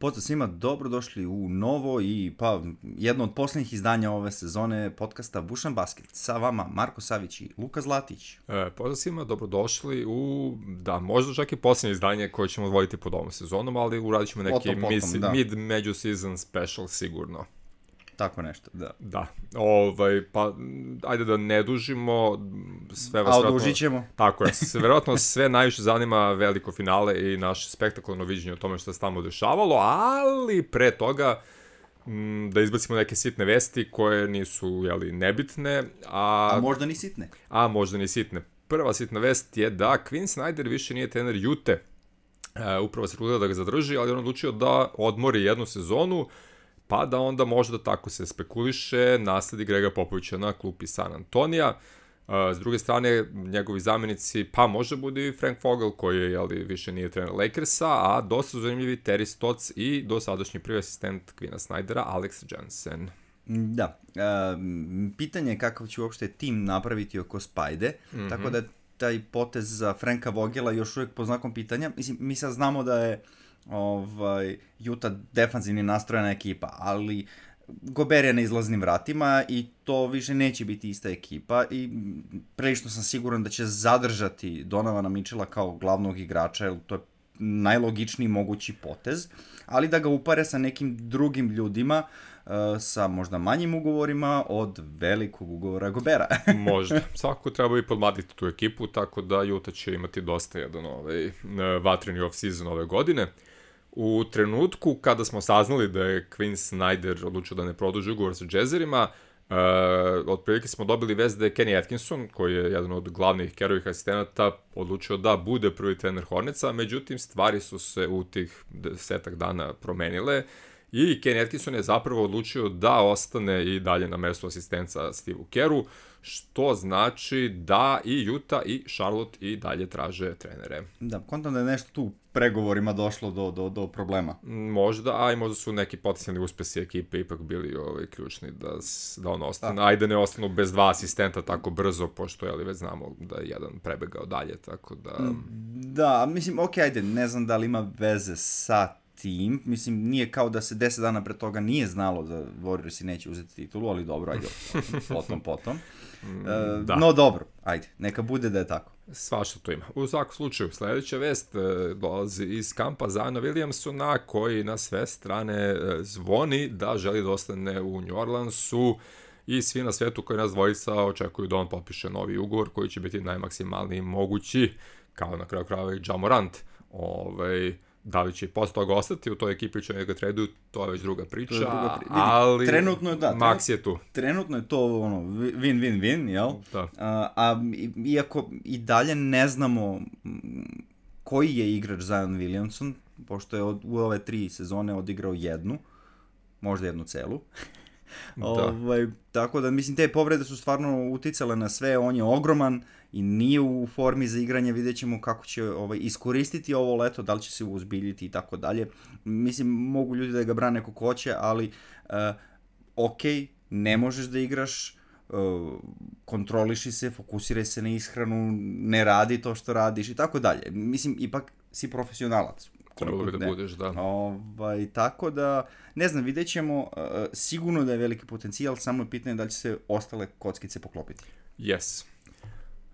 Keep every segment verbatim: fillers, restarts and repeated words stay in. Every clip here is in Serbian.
Pozdrav svima, dobrodošli u novo i pa jedno od posljednjih izdanja ove sezone podcasta Bušan Basket. Sa vama Marko Savić i Luka Zlatić. E, pozdrav svima, dobrodošli u, da, možda čak i posljednje izdanje koje ćemo voditi pod ovom sezonom, ali uradit ćemo neki potom, potom, misi, da. mid-među season special sigurno. Tako nešto, da. Da, ovaj, pa ajde da ne dužimo, sve vas A vjerojatno... odužit ćemo. Tako je, se, vjerojatno sve najviše zanima veliko finale i naše spektakularno viđenje o tome što se tamo dešavalo, ali pre toga m, da izbacimo neke sitne vesti koje nisu, jeli, nebitne. A, a možda ni sitne. A možda ni sitne. Prva sitna vest je da Quinn Snyder više nije trener Ute. E, upravo se trudila da ga zadrži, ali on odlučio da odmori jednu sezonu, pa da onda možda, tako se spekuliše, nasledi Grega Popovića na klupi San Antonija. S druge strane, njegovi zamjenici, pa može bude i Frank Vogel, koji je, jeli, više nije trener Lakersa, a dosta zanimljivi Terry Stotts i dosadašnji prvi asistent Quinna Snydera, Alex Jensen. Da, e, pitanje je kakav će uopšte tim napraviti oko Spajde, mm-hmm. tako da taj potez za Franka Vogela još uvijek po znakom pitanja. Mislim, mi sad znamo da je ovaj, Utah defanzivni nastrojena ekipa, ali Gober je na izlaznim vratima i to više neće biti ista ekipa i prilično sam siguran da će zadržati Donovana Mitchella kao glavnog igrača, jer to je najlogičniji mogući potez, ali da ga upare sa nekim drugim ljudima, uh, sa možda manjim ugovorima od velikog ugovora Gobera. Možda. Svako treba i podmladiti tu ekipu, tako da Utah će imati dosta jedan ovaj, vatreni off-season ove godine. U trenutku kada smo saznali da je Quinn Snyder odlučio da ne produži ugovor sa Jazzerima, uh, otprilike smo dobili vest da je Kenny Atkinson, koji je jedan od glavnih Kerovih asistenata, odlučio da bude prvi trener Hornetsa, međutim stvari su se u tih desetak dana promenile i Kenny Atkinson je zapravo odlučio da ostane i dalje na mestu asistenca Steveu Keru, što znači da i Utah i Charlotte i dalje traže trenere. Da, kontam da je nešto tu u pregovorima došlo do, do, do problema. Možda, a i možda su neki potencijalni uspesi ekipe ipak bili ovaj, ključni da, da on ostane. Da. Ajde ne ostanu bez dva asistenta tako brzo, pošto jeli, već znamo da je jedan prebegao dalje, tako da... Da, mislim, ok, ajde, ne znam da li ima veze sa tim, mislim, nije kao da se deset dana pre toga nije znalo da Warriorsi neće uzeti titulu, ali dobro, ajde, potom, potom. E, no dobro, ajde, neka bude da je tako. Svašta to ima. U svakom slučaju, sljedeća vest e, dolazi iz kampa Ziona Williamsona, koji na sve strane e, zvoni da želi da ostane u New Orleansu i svi na svetu koji nas dvojica očekuju da on potpiše novi ugovor koji će biti najmaksimalniji mogući, kao na kraju krajeva i Ja Morant. Ovaj, da li će posle toga ostati u toj ekipi će njega traduju, to je već druga priča, druga pri... ali trenutno je, da, Max je tu. Trenutno je to ono win-win-win, jel? Da. A, a iako i dalje ne znamo koji je igrač Zion Williamson, pošto je od, u ove tri sezone odigrao jednu, možda jednu celu. Da. Ovaj, tako da, mislim, te povrede su stvarno uticale na sve, on je ogroman i nije u formi za igranje, vidjet ćemo kako će ovaj, iskoristiti ovo leto, da li će se uzbiljiti i tako dalje. Mislim, mogu ljudi da ga brane kako hoće, ali uh, ok, ne možeš da igraš, uh, kontroliši se, fokusiraj se na ishranu, ne radi to što radiš i tako dalje. Mislim, ipak si profesionalac. Trebalo bi da budeš, da. Ovaj, tako da, ne znam, vidjet ćemo, uh, sigurno da je veliki potencijal, samo je pitanje da li će se ostale kockice poklopiti. Yes.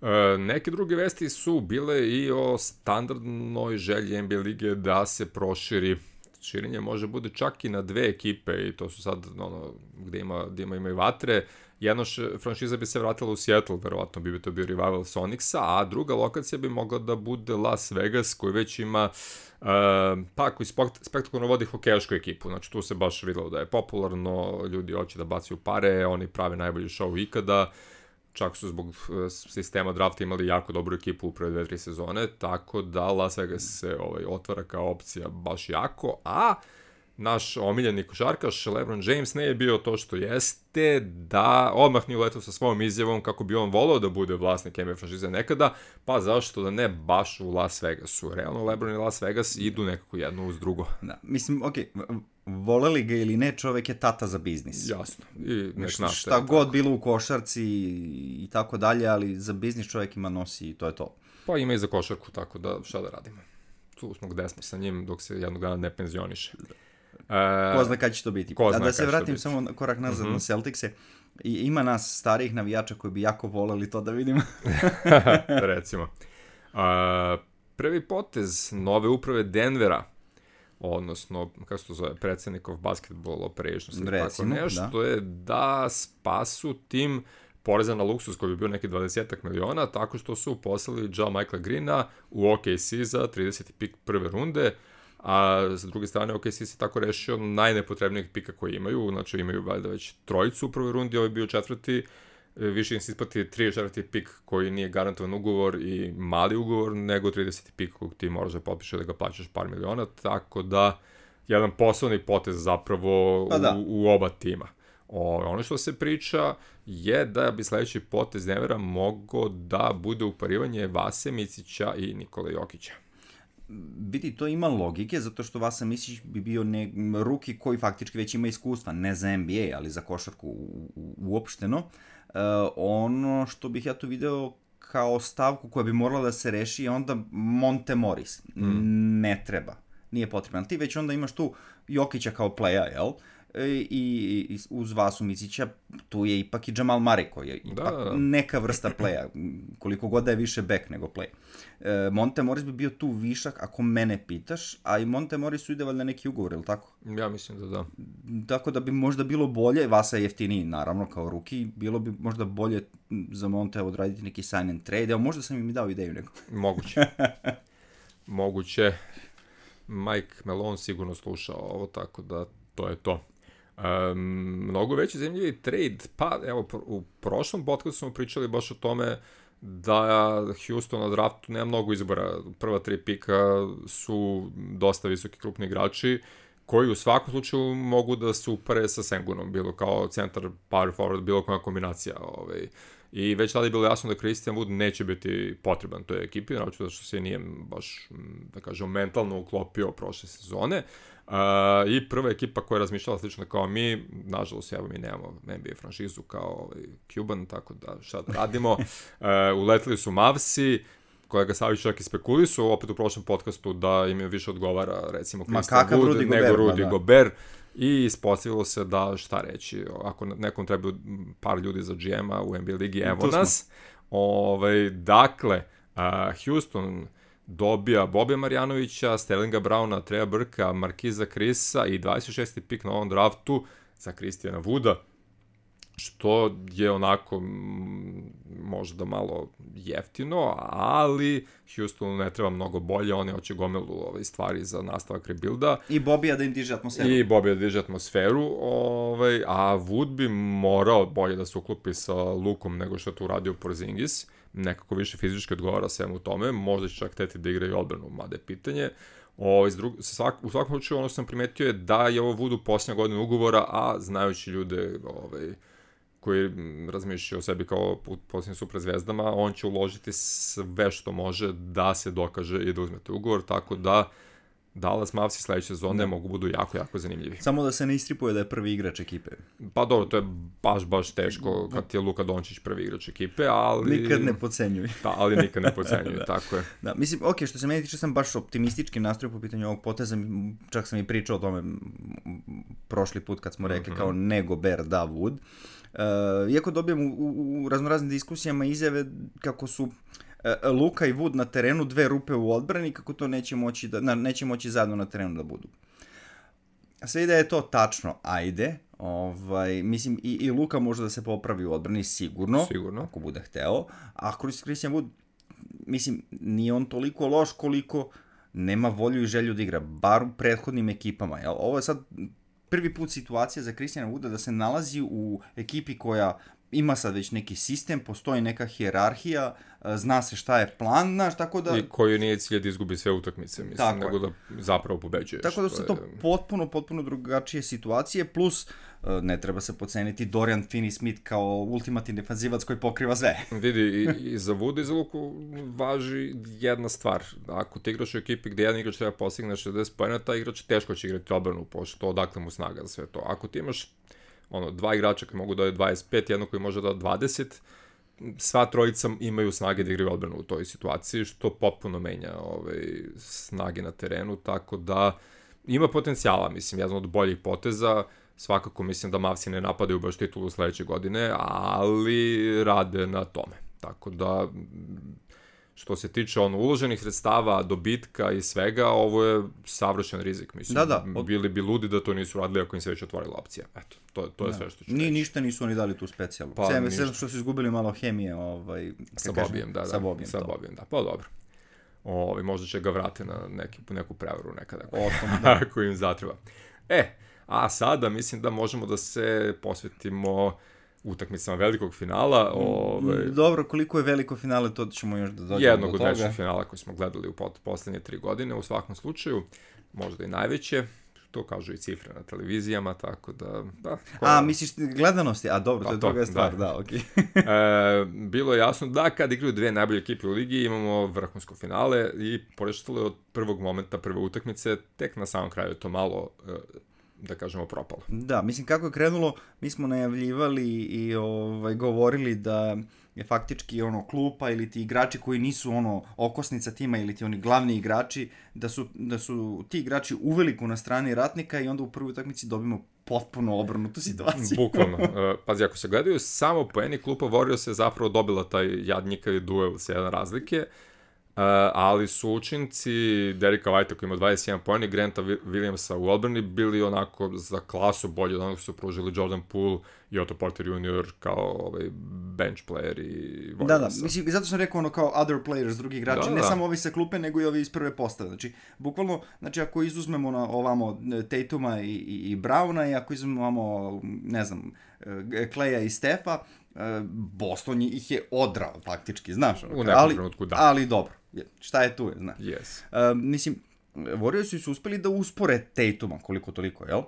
E, neke druge vesti su bile i o standardnoj želji N B A lige da se proširi. Širenje može bude čak i na dve ekipe i to su sad ono, gde ima, gde ima, ima i vatre. Jedna š, franšiza bi se vratila u Seattle, verovatno bi to bio rival Sonicsa, a druga lokacija bi mogla da bude Las Vegas, koji već ima Uh, pa koji spektakularno vodi hokejašku ekipu, znači tu se baš videlo da je popularno, ljudi hoće da bacaju pare, oni prave najbolji show ikada, čak su zbog uh, sistema drafta imali jako dobru ekipu u prve dve, tri sezone, tako da Las Vegas se ovaj, otvara kao opcija baš jako, a naš omiljeni košarkaš LeBron James ne je bio to što jeste, da odmah nije uletao sa svojom izjavom kako bi on volao da bude vlasnik N B A franšize nekada, pa zašto da ne baš u Las Vegasu. Realno LeBron i Las Vegas idu nekako jedno uz drugo. Da, mislim, ok, voleli ga ili ne, čovek je tata za biznis. Jasno. I nek šta, šta god tako. Bilo u košarci i tako dalje, ali za biznis čovek ima nosi i to je to. Pa ima i za košarku, tako da šta da radimo. Tu smo gde smo sa njim dok se jednog dana ne penzioniše. E, ko zna kada će to biti. Ko A zna da se vratim biti. samo korak nazad mm-hmm. na Celticse, i ima nas starijih navijača koji bi jako voleli to da vidimo. Recimo. A, prvi potez nove uprave Denvera, odnosno, kako se to zove, predsednikov basketball operations, recimo, tako nešto, da. je da spasu tim poreza na luksus koji bi bio neki dvadeset miliona, tako što su poslali Joe Michaela Greena u O K C za trideset pik prve runde, a s druge strane O K C se tako rešio najnepotrebnijeg pika koji imaju, znači imaju valjda već trojicu u prvoj rundi, ovo je bio četvrti, više im se isplati tri četvrti pik koji nije garantovan ugovor i mali ugovor, nego trideset pik kog ti moraš da potpiše da ga plaćaš par miliona, tako da jedan poslovni potez zapravo pa da. u, u oba tima. O, ono što se priča je da bi sledeći potez Denvera mogao da bude uparivanje Vase Micića i Nikole Jokića. Vidi, to ima logike, zato što Vasa Micić bi bio ne, ruki koji faktički već ima iskustva, ne za N B A, ali za košarku u, u, uopšteno. Uh, ono što bih ja tu video kao stavku koja bi morala da se reši je onda Monte Morris. Mm. Ne treba, nije potrebno. Ti već onda imaš tu Jokića kao playa, jel? I, i uz Vasu Micića tu je ipak i Jamal Murray koji je ipak da. neka vrsta playa, koliko god da je više back nego play. E, Monte Morris bi bio tu višak ako mene pitaš, a i Monte Morrisu ide valjda neki ugovor, ili tako? Ja mislim da da. Tako da bi možda bilo bolje, Vasa je jeftiniji naravno kao ruki, bilo bi možda bolje za Monte odraditi neki sign and trade, evo možda sam im dao ideju neko. Moguće. Moguće. Mike Malone sigurno slušao ovo, tako da to je to. Um, mnogo veći zanimljivi trade, pa evo u prošlom podcastu smo pričali baš o tome da Houston na draftu nema mnogo izbora, prva tri pika su dosta visoki krupni igrači koji u svakom slučaju mogu da se upare sa Sengunom, bilo kao centar, power forward, bilo koja kombinacija. Ovaj. I već tada je bilo jasno da Christian Wood neće biti potreban toj ekipi, naravno što se nije baš, da kažem, mentalno uklopio prošle sezone. Uh, I prva ekipa koja je razmišljala slično kao mi, nažalost, evo mi nemamo N B A franšizu kao ovaj, Cuban, tako da šta da radimo. Uh, uletili su Mavsi, kolega Savić čak i spekulisu, opet u prošlom podcastu da im je više odgovara, recimo, Christian Wood Rudy nego Gobert, Rudy da. Gobert. I ispostavilo se da, šta reći, ako nekom treba par ljudi za G M-a u N B A ligi, evo nas. Ovaj, dakle, uh, Houston dobija Bobija Marjanovića, Sterlinga Browna, Treja Burka, Markiza Chrisa i dvadeset šesti pik na ovom draftu za Christiana Wooda, što je onako možda malo jeftino, ali Houstonu ne treba mnogo bolje, oni hoće gomilu ove stvari za nastavak rebuilda. I Bobija da im diže atmosferu. I Bobija da diže atmosferu, ovaj, a Wood bi morao bolje da se uklopi sa Lukom nego što je to uradio Porzingis, nekako više fizički odgovara svemu u tome, možda će čak teti da igra i odbranu, mada je pitanje. O, drug, svak, u svakom slučaju ono što sam primetio je da je ovo Woodu posljednja godina ugovora, a znajući ljude ovaj, koji razmišljaju o sebi kao posljednjim super zvezdama, on će uložiti sve što može da se dokaže i da uzmete ugovor, tako da Dallas Mavsi sledeće sezone mogu budu jako, jako zanimljivi. Samo da se ne istripuje da je prvi igrač ekipe. Pa dobro, to je baš, baš teško kad je Luka Dončić prvi igrač ekipe, ali... Nikad ne podcenjuj. Da, ali nikad ne podcenjuj, da. Tako je. Da, mislim, ok, što se meni tiče, sam baš optimistički nastroj po pitanju ovog poteza, čak sam i pričao o tome prošli put kad smo rekli mm-hmm. kao ne Gobert, da Wood. Uh, iako dobijem u, u, u raznoraznim diskusijama izjave kako su uh, Luka i Wood na terenu dve rupe u odbrani, kako to neće moći, da, na, neće moći zajedno na terenu da budu. Sve da je to tačno, ajde, ovaj, mislim i, i Luka može da se popravi u odbrani sigurno, sigurno. Ako bude hteo, a Christian Wood, mislim, nije on toliko loš koliko nema volju i želju da igra, bar u prethodnim ekipama, jel? Ovo je sad prvi put situacija za Christiana Wooda da se nalazi u ekipi koja ima sad već neki sistem, postoji neka hijerarhija, zna se šta je plan, znaš, tako da... I koji nije cilj da izgubi sve utakmice, mislim, tako nego je. Da zapravo pobeđuješ. Tako da su to je... potpuno, potpuno drugačije situacije, plus ne treba se podceniti Dorian Finney-Smith kao ultimativni defanzivac koji pokriva sve. Vidi, i, i za Wooda i za Luku važi jedna stvar. Ako ti igraš u ekipi gde jedan igrač treba postigne šezdeset poena, taj igrač teško će igrati obranu, pošto odakle mu snaga za sve to. Ako ti imaš ono, dva igrača koji mogu da je dvadeset pet, jedno koji može da je dvadeset, sva trojica imaju snage da igraju odbranu u toj situaciji, što potpuno menja ovaj, snage na terenu, tako da ima potencijala, mislim, jedan od boljih poteza, svakako mislim da Mavsi ne napadaju baš titulu sledeće godine, ali rade na tome. Tako da, što se tiče ono, uloženih sredstava, dobitka i svega, ovo je savršen rizik, mislim. Da, da. Od... Bili bi ludi da to nisu radili ako im se već otvorila opcija. Eto, to, to je da. Sve što ću Ni, reći. Ništa nisu oni dali tu specijalnu. Pa, Sve, sve što su izgubili malo hemije. Ovaj, sa Bobijem, da, da. Sa Bobijem, sa Bobijem, da. Pa dobro. Ovi, možda će ga vrati na neki, neku prevaru nekada. Otom, da. Ako im zatreba. E, a sada mislim da možemo da se posvetimo utakmicama velikog finala. Ove... Dobro, koliko je veliko finale, to ćemo još da dođemo jednog do toga. Jednog od većih finala koji smo gledali u poslednje tri godine, u svakom slučaju, možda i najveće, to kažu i cifre na televizijama, tako da... da koja... A, misliš gledanosti? A dobro, to je druga stvar, da, da okej. Okay. e, bilo je jasno da kad igraju dve najbolje ekipe u ligi, imamo vrhunsko finale i poreštalo je od prvog momenta, prve utakmice, tek na samom kraju to malo... da kažemo, propalo. Da, mislim, kako je krenulo, mi smo najavljivali i ovaj, govorili da je faktički ono klupa ili ti igrači koji nisu ono okosnica tima ili ti oni glavni igrači, da su, da su ti igrači uveliko na strani ratnika i onda u prvoj utakmici dobimo potpuno obrnutu situaciju. Bukvalno. Uh, pazi, ako se gledaju samo poeni, klupa Warriors je zapravo dobila taj jadnjikavi duel sa jedan razlike, Uh, ali su učinci Derricka Whitea koji ima dvadeset jedan poena i Granta Williamsa u odbrani bili onako za klasu bolje od onog su pružili Jordan Poole i Otto Porter junior kao ovaj bench player i Warriorsa. Da, da, mislim, zato sam rekao ono kao other players, drugi igrači, da, ne da. samo ovi sa klupe, nego i ovi iz prve postave. Znači, bukvalno, znači ako izuzmemo na ovamo Tatuma i, i, i Browna i ako izuzmemo ovamo, ne znam, Claya i Stefa, Boston ih je odrao faktički, znaš. U nekom ali, trenutku, da. Ali dobro, šta je tu je, znaš. Yes. Uh, mislim, Warriorsi su uspeli da uspore Tatuma koliko toliko, jel? Uh,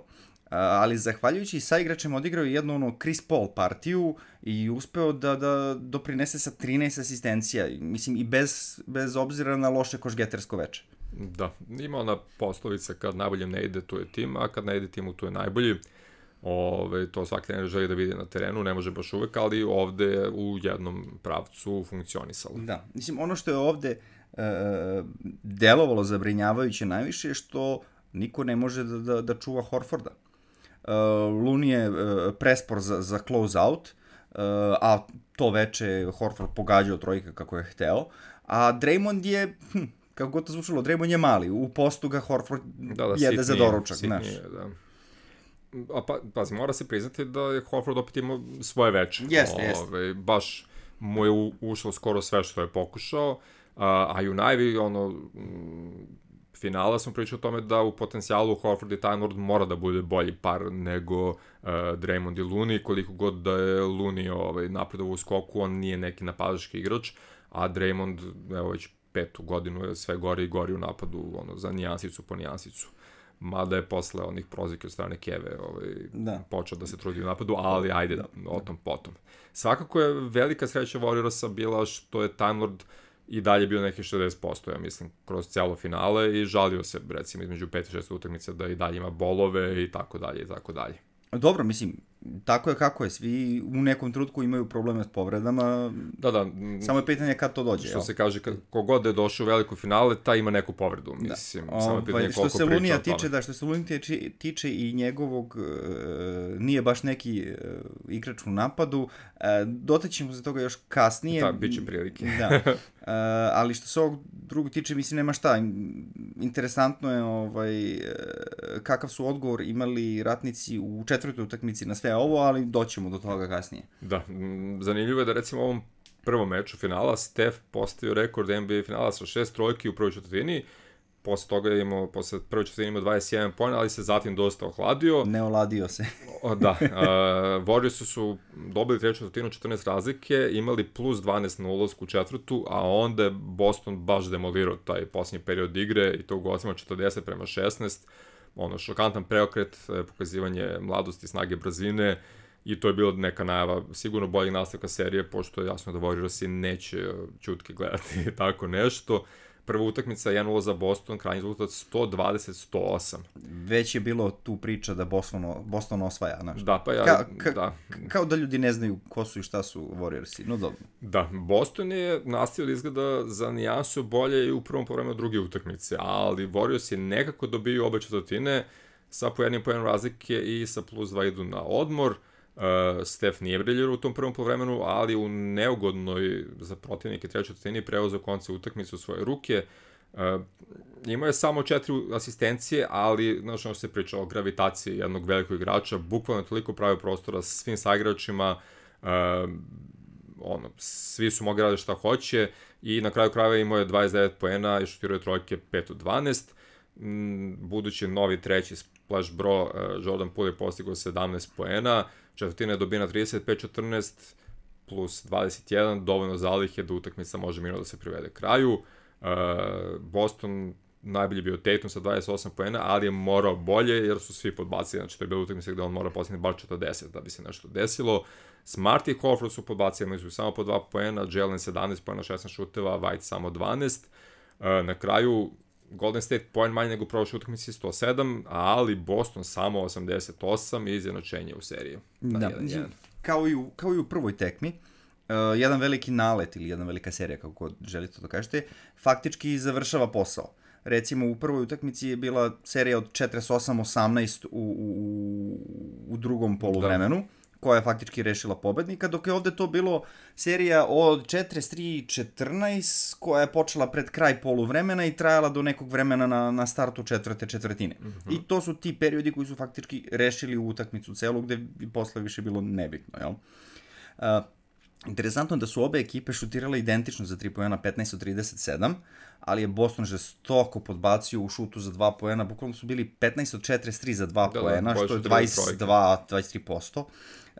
ali zahvaljujući saigračima odigrao jednu ono Chris Paul partiju i uspeo da, da doprinese sa trinaest asistencija, mislim i bez, bez obzira na loše košgetersko veče. Da, ima ona poslovica kad najboljem ne ide, tu je tim, a kad ne ide timu, tu je najbolji. Ove, to svaki trener želi da vidi na terenu, ne može baš uvek, ali ovde u jednom pravcu funkcionisalo. Da, mislim, ono što je ovde e, delovalo zabrinjavajuće najviše je što niko ne može da, da, da čuva Horforda. E, Looney je e, prespor za, za close out, e, a to veče Horford pogađao trojka kako je hteo, a Draymond je... Hm, kako god to zvučalo, Draymond je mali, u postu ga Horford da, da, jede za doručak, znaš. Da. A pa, pazi, mora se priznati da je Horford opet imao svoje veče. Jeste, jeste. Ove, baš mu je u, ušlo skoro sve što je pokušao, a, a i u najvi, ono, m, finala smo pričali o tome da u potencijalu Horford i Time Lord mora da bude bolji par nego uh, Draymond i Looney, koliko god da je Looney ovaj, napredovao u skoku, on nije neki napadački igrač, a Draymond, evo već petu godinu je sve gori i gori u napadu, ono, za nijansicu po nijansicu. Mada je posle onih prozike od strane Keve ovaj, da. počeo da se trudi u napadu, ali ajde, da, o tom potom. Svakako je velika sreća Warriorsa bila što je Time Lord i dalje bio neki šezdeset posto, ja mislim, kroz cijelo finale i žalio se, recimo, između pet i šest utakmice da i dalje ima bolove i tako dalje i tako dalje. Dobro, mislim, tako je kako je, svi u nekom trenutku imaju probleme s povredama, da, da. Samo je pitanje kad to dođe. Što jel? Se kaže, kad, kogod je došao u veliko finale, taj ima neku povredu, mislim, da. Samo je pitanje ovaj, koliko priča o tome. Lunija tiče, da, što se Lunija tiče, tiče i njegovog, uh, nije baš neki uh, igrač u napadu, uh, dotaćemo se toga još kasnije. Da, bit će prilike. Da, uh, ali što se ovog drugog tiče, mislim, nema šta, interesantno je ovaj, uh, kakav su odgovor imali ratnici u četvrtoj utakmici na sve ovo, ali doćemo do toga kasnije. Da, zanimljivo je da recimo u ovom prvom meču finala Steph postavio rekord N B A finala sa šest trojki u prvoj četvrtini, posle toga je imao, posle prve četvrtine imao dvadeset jedan poena, ali se zatim dosta ohladio. Ne oladio se. O, da, uh, Warriors su dobili treću četvrtinu četrnaest razlike, imali plus dvanaest na ulazku u četvrtu, a onda je Boston baš demolirao taj posljednji period igre i to u gostima četrdeset prema šesnaest, ono, šokantan preokret, pokazivanje mladosti, snage, brzine i to je bilo neka najava sigurno boljeg nastavka serije, pošto je jasno da Warriorsi neće čutke gledati tako nešto. prva utakmica jedan nula za Boston, krajnji rezultat sto dvadeset sto osam. Već je bilo tu priča da Boston, Boston osvaja, znaš. Da, pa ja, ka, ka, da. Kao da ljudi ne znaju ko su i šta su Warriorsi, no dobro. Da, Boston je nastavio da izgleda za nijansu bolje i u prvom povremenu druge utakmice, ali Warriors je nekako dobio obe četvrtine sa po jednim pojenom razlike i sa plus dva idu na odmor. Uh, Steph nije briljirao u tom prvom povremenu, ali u neugodnoj za protivnike trećoj četvrtini preuzeo konce utakmice u svoje ruke. Uh, imao je samo četiri asistencije, ali znaš ono što se priča o gravitaciji jednog velikog igrača, bukvalno toliko pravio prostora sa svim saigračima, uh, ono, svi su mogli raditi šta hoće i na kraju krajeva imao je dvadeset devet poena i šutirao je trojke pet od dvanaest. Mm, budući novi treći splash bro, uh, Jordan Poole je postigao sedamnaest poena, četvrtina je dobina trideset pet četrnaest plus dvadeset jedan, dovoljno zalihe da utakmica može mirno da se privede kraju. Uh, Boston najbolji bio Tatum sa dvadeset osam poena, ali je morao bolje jer su svi podbacili, znači to je bilo utakmica gde on mora postignuti bar četrdeset da bi se nešto desilo. Smart i Horford su podbacili, imali su samo po dva poena, Jalen sedamnaest poena, šesnaest šuteva, White samo dvanaest. Uh, na kraju Golden State poen manje nego u prošloj utakmici sto sedam, ali Boston samo osamdeset osam i izjednačenje u seriji. Da, jedan, jedan. Kao, i u, kao i u prvoj tekmi, uh, jedan veliki nalet ili jedna velika serija, kako god želite da kažete, faktički završava posao. Recimo, u prvoj utakmici je bila serija od četrdeset osam osamnaest u, u, u drugom poluvremenu, da, koja je faktički rešila pobednika, dok je ovde to bilo serija od četrdeset tri četrnaest koja je počela pred kraj poluvremena i trajala do nekog vremena na, na startu četvrte četvrtine. Mm-hmm. I to su ti periodi koji su faktički rešili utakmicu celu, gde bi posle više bilo nebitno, jel? Uh, Interesantno je da su obe ekipe šutirale identično za tri poena, petnaest od trideset sedam, ali je Boston žestoko podbacio u šutu za dva poena, bukvalno su bili petnaest od četrdeset tri za dva da, poena, da, što je dvadeset dva do dvadeset tri posto.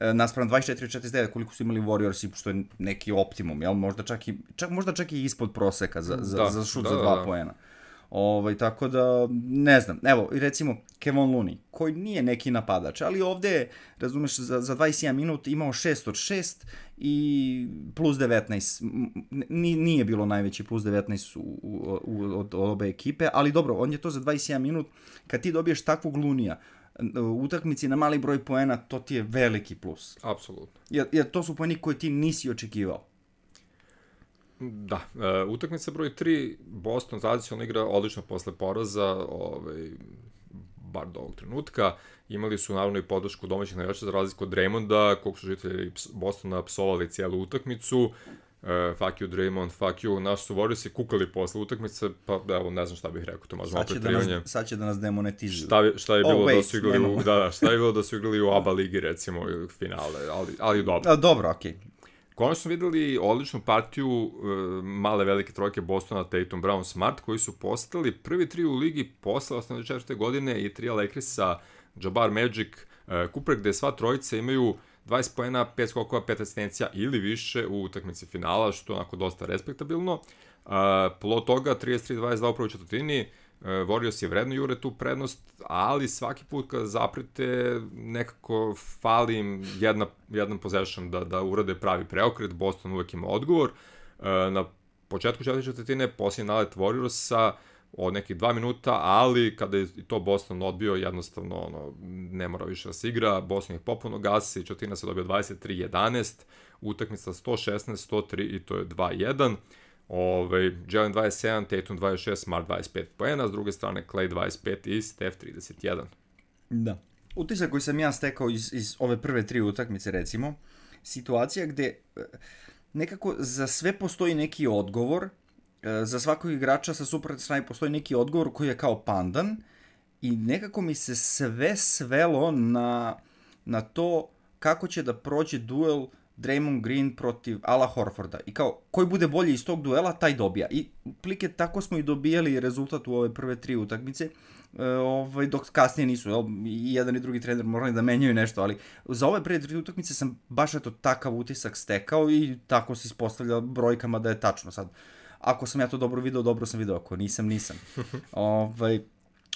Naspram dvadeset četiri od četrdeset devet koliko su imali Warriorsi, što je neki optimum, jel? Možda čak i, čak, možda čak i ispod proseka za, za, da, za šut da, za dva da, da. poena. Ovaj, tako da, ne znam, evo, recimo Kevon Looney, koji nije neki napadač, ali ovde, razumeš, za, za dvadeset jedan minut imao šest od šest i plus devetnaest, nije bilo najveći plus devetnaest u, u, u, od obe ekipe, ali dobro, on je to za dvadeset jedan minut, kad ti dobiješ takvog Loonija, u utakmici na mali broj poena, to ti je veliki plus. Apsolutno. Jer, jer to su poeni koje ti nisi očekivao. Da, e, utakmica broj tri, Boston tradicionalno igra odlično posle poraza, ovaj, bar do ovog trenutka. Imali su naravno i podršku domaćih navijača za razliku od Draymonda, koliko su žitelji Bostona psovali cijelu utakmicu. E, fuck you Draymond, fuck you, naš su Warriorsi kukali posle utakmice, pa evo ne znam šta bih rekao, to možemo opet privanje. Sad će da nas demonetizuju. Šta, šta je bilo oh, wait, da su igrali u, da, da, šta je bilo da su igrali u A B A ligi recimo, finale, ali, ali dobro. A, dobro, okej. Okay. Konačno smo videli odličnu partiju uh, male velike trojke Bostona, Tatum, Brown, Smart, koji su postali prvi tri u ligi posle osamdeset četvrte godine i trija Lakersa, Jabbar, Magic, uh, Cooper, gde sva trojica imaju dvadeset poena, pet skokova, pet asistencija ili više u utakmici finala, što je onako dosta respektabilno. Uh, plod toga trideset tri dvadeset dva u prvoj četvrtini, uh, Warriors je vredno jure tu prednost, ali svaki put kada zaprete nekako fali im jedna, jedan possession da, da urade pravi preokret, Boston uvek ima odgovor. Uh, na početku četvrte četvrtine posljednji nalet Warriorsa od nekih dva minuta, ali kada je to Boston odbio, jednostavno ono, ne mora više da se igra, Boston ih popuno gasi, četvrtina se dobio dvadeset tri jedanaest, utakmica sto šesnaest sto tri i to je dva jedan. Ove, Jalen dvadeset sedam, Tatum dvadeset šest, Smart dvadeset pet poena, s druge strane Clay dvadeset pet i Steph trideset jedan. Da. Utisak koji sam ja stekao iz, iz ove prve tri utakmice, recimo, situacija gde nekako za sve postoji neki odgovor, za svakog igrača sa suprotne strane postoji neki odgovor koji je kao pandan i nekako mi se sve svelo na, na to kako će da prođe duel Draymond Green protiv Ala Horforda i kao koji bude bolji iz tog duela, taj dobija. I plike tako smo i dobijali rezultat u ove prve tri utakmice, e, ovaj, dok kasnije nisu, jel, i jedan i drugi trener morali da menjaju nešto, ali za ove prve tri utakmice sam baš eto takav utisak stekao i tako se ispostavlja brojkama da je tačno sad. Ako sam ja to dobro video, dobro sam video, ako nisam, nisam. ovaj,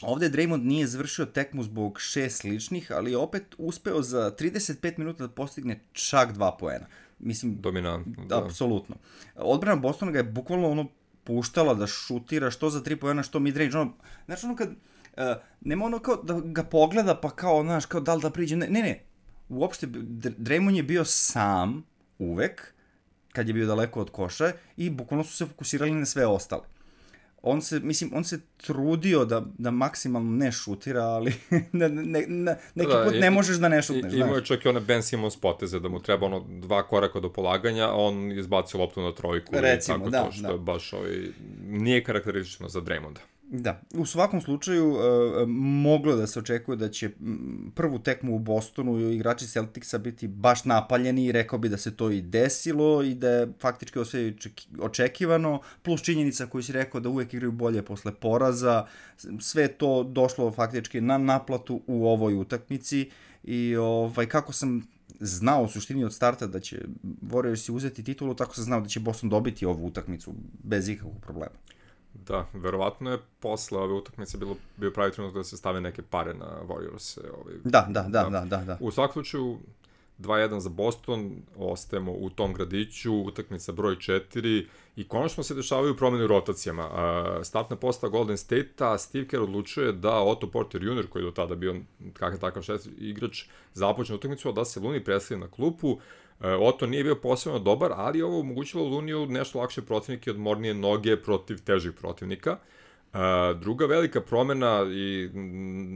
ovde Draymond nije završio tekmu zbog šest sličnih, ali je opet uspeo za trideset pet minuta da postigne čak dva poena. Mislim, dominantno. Da, apsolutno. Odbrana Bostona ga je bukvalno ono puštala da šutira što za tri poena, što midrange, ono, znači ono kad, uh, nema ono kao da ga pogleda pa kao, znaš, kao da li da priđe, ne, ne, ne, uopšte, Draymond je bio sam, uvek, kad je bio daleko od koša i bukvalno su se fokusirali na sve ostale. On se, mislim, on se trudio da, da maksimalno ne šutira, ali ne, ne, ne, neki da, put ne i, možeš da ne šutneš, i, znaš. Imao je čak i one Ben Simmons poteze, da mu treba ono dva koraka do polaganja, a on izbacio loptu na trojku. Recimo, tako da, to, što da. je baš ovaj, nije karakteristično za Draymonda. Da, u svakom slučaju uh, moglo da se očekuje da će prvu tekmu u Bostonu igrači Celticsa biti baš napaljeni i rekao bi da se to i desilo i da je faktički sve očekivano, plus činjenica koju si rekao da uvek igraju bolje posle poraza, sve to došlo faktički na naplatu u ovoj utakmici i ovaj, kako sam znao u suštini od starta da će Warriorsi uzeti titulu, tako sam znao da će Boston dobiti ovu utakmicu bez ikakvog problema. Da, verovatno je posle ove utakmice bilo, bio pravi trenutak da se stave neke pare na Warriors. Ovaj, da, da, da, da, da, da. U svakom slučaju, dva jedan za Boston, ostajemo u tom gradiću, utakmica broj četiri i konačno se dešavaju promene u rotacijama. Startna postava Golden State-a, Steve Kerr odlučuje da Otto Porter junior, koji je do tada bio kakav takav šest igrač, započne utakmicu, a da se Looney preseli na klupu. Otto nije bio posebno dobar, ali ovo omogućilo Looniju nešto lakše protivnike, odmornije noge protiv težih protivnika. Druga velika promena i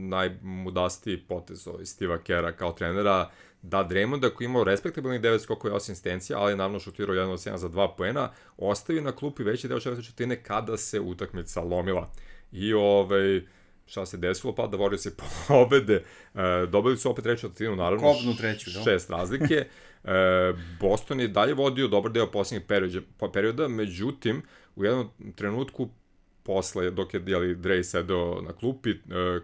najmudastiji potez iz Steva Kerra kao trenera, da Draymonda, koji imao respektabilnih devet skokova i osam asistencija, ali je naravno šutirao jedan od sedam za dva poena, ostavi na klupi veći deo četvrte četvrtine kada se utakmica lomila. I ovaj... šta se desilo, pa da Warriors se pobede. E, dobili su opet treću četvrtinu, naravno, Kobnu treću, da. šest razlike. E, Boston je dalje vodio dobar deo posljednjeg perioda, perioda, međutim, u jednom trenutku, posle, dok je jeli, Dray sedeo na klupi, e,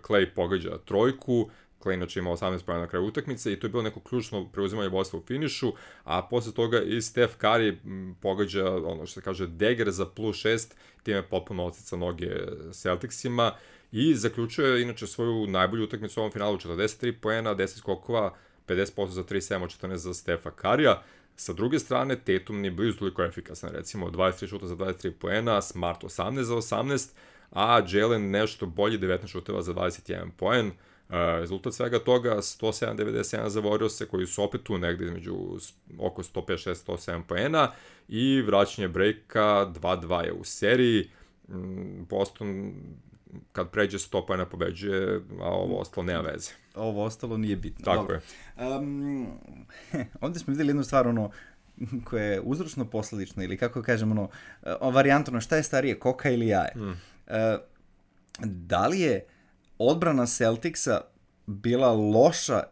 Klay pogađa trojku, Klay inače ima osamnaest poena na kraju utakmice i to je bilo neko ključno preuzimanje vodstva u finišu, a posle toga i Steph Curry pogađa, ono što se kaže, dagger za plus šest, time potpuno otica noge Celticsima, i zaključuje inače svoju najbolju utakmicu u ovom finalu, četrdeset tri poena, deset skokova, pedeset posto za tri sedam od četrnaest za Stefa Karija. Sa druge strane, Tatum nije blizu toliko efikasan, recimo dvadeset tri šuta za dvadeset tri poena, Smart osamnaest za osamnaest, a Jalen nešto bolji, devetnaest šuteva za dvadeset jedan poen. Uh, rezultat svega toga, sto sedam devedeset sedam za Warriors, koji su opet tu negde između oko sto pedeset šest sto sedam poena i vraćanje breaka, dva dva je u seriji. Boston kad pređe sto poena pobeđuje, a ovo ostalo nema veze. Ovo ostalo nije bitno. Tako Dobro. je. Um, ovdje smo vidjeli jednu stvar, ono, koja je uzročno posledična, ili kako kažem, ono, varijantno, šta je starije, koka ili jaje? Mm. Uh, da li je odbrana Celticsa bila loša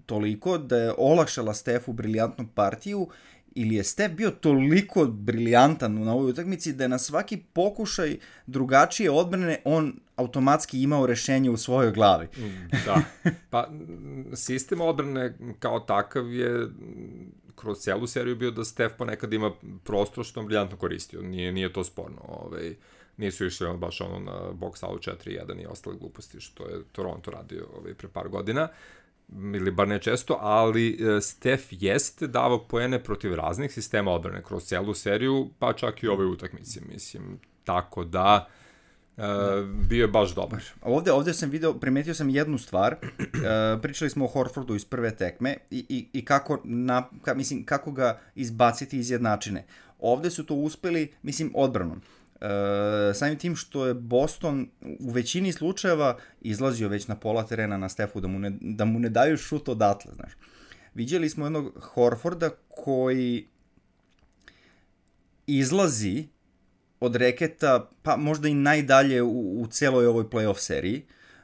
toliko da je olakšala Stefu briljantnu partiju, ili je Stef bio toliko briljantan na ovoj utakmici da je na svaki pokušaj drugačije odbrane on automatski imao rešenje u svojoj glavi. Da. Pa, sistem odbrane kao takav je kroz celu seriju bio da Stef ponekad ima prostor što on briljantno koristio. Nije, nije to sporno. Ovaj, nisu išli on baš ono na box out četiri jedan i ostale gluposti što je Toronto radio ovaj, pre par godina. Ili bar ne često, ali Stef jeste davao poene protiv raznih sistema odbrane kroz celu seriju, pa čak i ove utakmice, mislim. Tako da, e, bio je baš dobar. Ovde, ovde sam video, primetio sam jednu stvar, e, pričali smo o Horfordu iz prve tekme i, i, i kako, na, ka, mislim, kako ga izbaciti iz jednačine. Ovde su to uspeli, mislim, odbranom. Uh, samim tim što je Boston u većini slučajeva izlazio već na pola terena na Stefu da mu ne, da mu ne daju šut odatle, znaš. Viđeli smo jednog Horforda koji izlazi od reketa, pa možda i najdalje u, u celoj ovoj playoff seriji,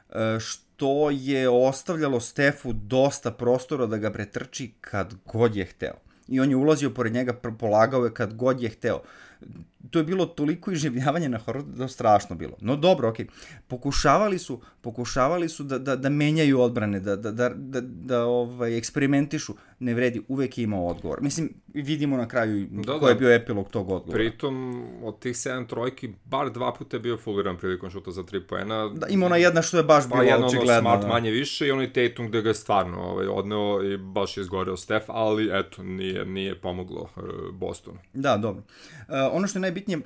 uh, što je ostavljalo Stefu dosta prostora da ga pretrči kad god je hteo. I on je ulazio pored njega, polagao je kad god je hteo. To je bilo toliko iživljavanje na Horfordu da je strašno bilo. No dobro, okej. Okay. Pokušavali su, pokušavali su da, da, da menjaju odbrane, da, da, da, da, da ovaj, eksperimentišu. Ne vredi, uvek je imao odgovor. Mislim, vidimo na kraju da, koji je bio epilog tog odgovora. Pritom, od tih sedam trojki, bar dva puta je bio fuliran prilikom šuta za tri poena. Da, ima ona jedna što je baš pa bilo očigledno. Smart da. Manje više i onaj Tatum gde ga je stvarno ovaj, odneo i baš je izgoreo Stef, ali eto, nije, nije pomoglo uh, Bostonu. Da, dobro. Uh, ono što je najbitnije,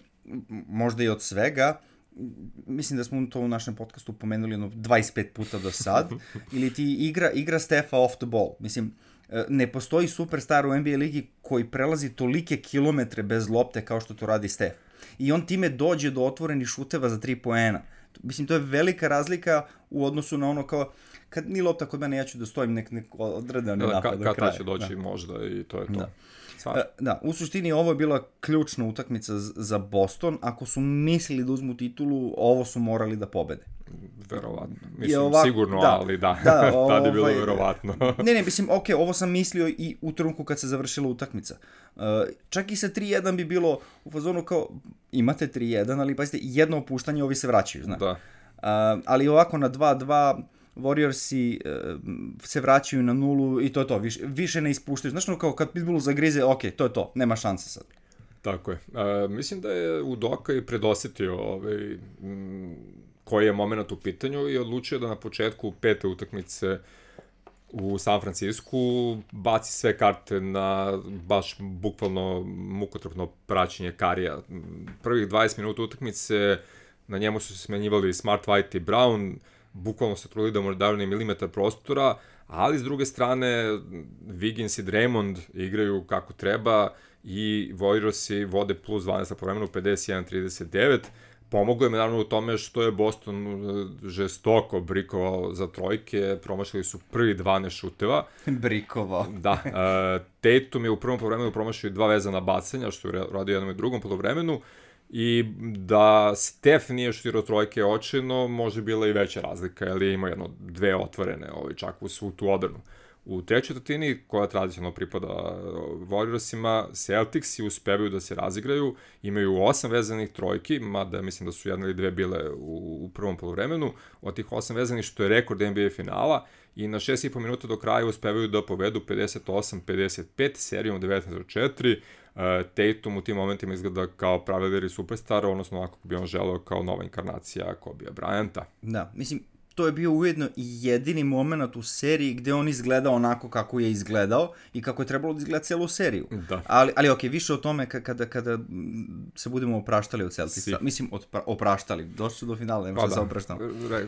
možda i od svega, mislim da smo to u našem podcastu pomenuli jedno dvadeset pet puta do sad, ili ti igra, igra Stefa off the ball. Mislim, ne postoji superstar u N B A ligi koji prelazi tolike kilometre bez lopte kao što to radi Stef. I on time dođe do otvorenih šuteva za tri poena. Mislim, to je velika razlika u odnosu na ono kao, kad ni lopta kod mene, ja ću da stojim nek, nek odredan da, napad do kraja. Kada će doći da. možda i to je to. Da. Da, u suštini ovo je bila ključna utakmica za Boston. Ako su mislili da uzmu titulu, ovo su morali da pobede. Verovatno. Mislim, ovako, sigurno, da, ali da. da Tad je bilo ovaj, verovatno. ne, ne, mislim, ok, ovo sam mislio i u trenutku kad se završila utakmica. Uh, čak i sa tri jedan bi bilo u fazonu kao, imate tri jedan, ali pazite, jedno opuštanje, ovi se vraćaju, znaš. Da. Uh, ali ovako na dva dva... Warriorsi uh, se vraćaju na nulu i to je to, više, više ne ispuštaju. Znaš, no, kao kad Pitbullu zagrize, ok, to je to, nema šanse sad. Tako je. Uh, mislim da je Udoka i predosetio ovaj, m, koji je moment u pitanju i odlučio da na početku pete utakmice u San Francisku baci sve karte na baš bukvalno mukotrpno praćenje Karija. Prvih dvadeset minuta utakmice na njemu su se smenjivali Smart, White i Brown, bukvalno se trudili da mu daju ni milimetar prostora, ali s druge strane Wiggins i Draymond igraju kako treba i Warriorsi vode plus dvanaest po vremenu, pedeset jedan trideset devet. Pomoglo je me naravno u tome što je Boston žestoko brikovao za trojke, promašili su prvi dvanaest šuteva. Brikovao. Da, uh, Tatum je u prvom polovremenu promašio dva vezana bacanja, što je radio jednom i drugom polovremenu. I da Stef nije šutirao trojke očajno, može bila i veća razlika, jer je imao jedno dve otvorene, ovaj, čak u svu tu odbranu. U trećoj četvrtini, koja tradicionalno pripada Warriorsima, Celticsi uspevaju da se razigraju, imaju osam vezanih trojki, mada mislim da su jedna ili dve bile u, u prvom poluvremenu, od tih osam vezanih što je rekord N B A finala, i na šest i po minuta do kraja uspevaju da povedu pedeset osam pedeset pet, serijom devetnaest četiri. Uh, Tatum u tim momentima izgleda kao pravi lider i superstar, odnosno ako bi on želeo kao nova inkarnacija Kobija Bryanta. Da, mislim, to je bio ujedno i jedini moment u seriji gde on izgleda onako kako je izgledao i kako je trebalo da izgleda celu seriju. Da. Ali, ali ok, više o tome kada, kada se budemo opraštali od Celtica. Si. Mislim, odpra, opraštali. Došli su do finala, nema pa što da se opraštamo.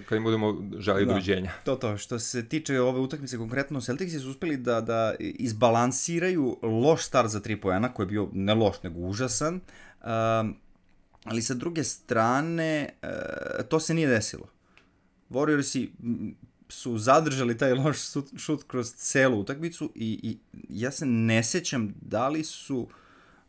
Kad im budemo želi da. doviđenja. To to. Što se tiče ove utakmice konkretno, Celticsi su uspeli da, da izbalansiraju loš start za tri poena, koji je bio ne loš, nego užasan. Um, ali sa druge strane, uh, to se nije desilo. Warriorsi su zadržali taj loš šut kroz celu utakmicu i, i ja se ne sećam da li su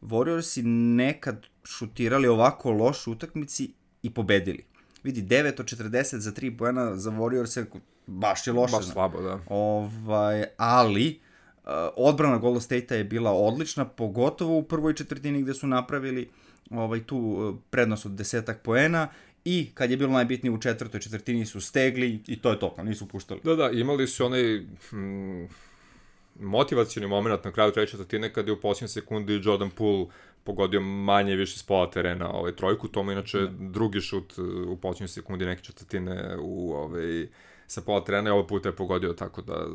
Warriorsi nekad šutirali ovako loš utakmici i pobedili. Vidi, devet od četrdeset za tri poena za Warriorse baš je loše. Baš slabo, da. Ovaj, ali uh, odbrana Golden State-a je bila odlična, pogotovo u prvoj četvrtini gde su napravili ovaj, tu uh, prednost od desetak poena. I kad je bilo najbitnije u četvrtoj četvrtini su stegli i to je to, nisu puštali. Da, da, imali su onaj hm, motivacioni moment na kraju treće četvrtine kada je u posljednjoj sekundi Jordan Poole pogodio manje više s pola terena ovaj, trojku, tomu inače da. drugi šut u posljednjoj sekundi neke četvrtine u, ovaj, sa pola terena i ovaj put je pogodio, tako da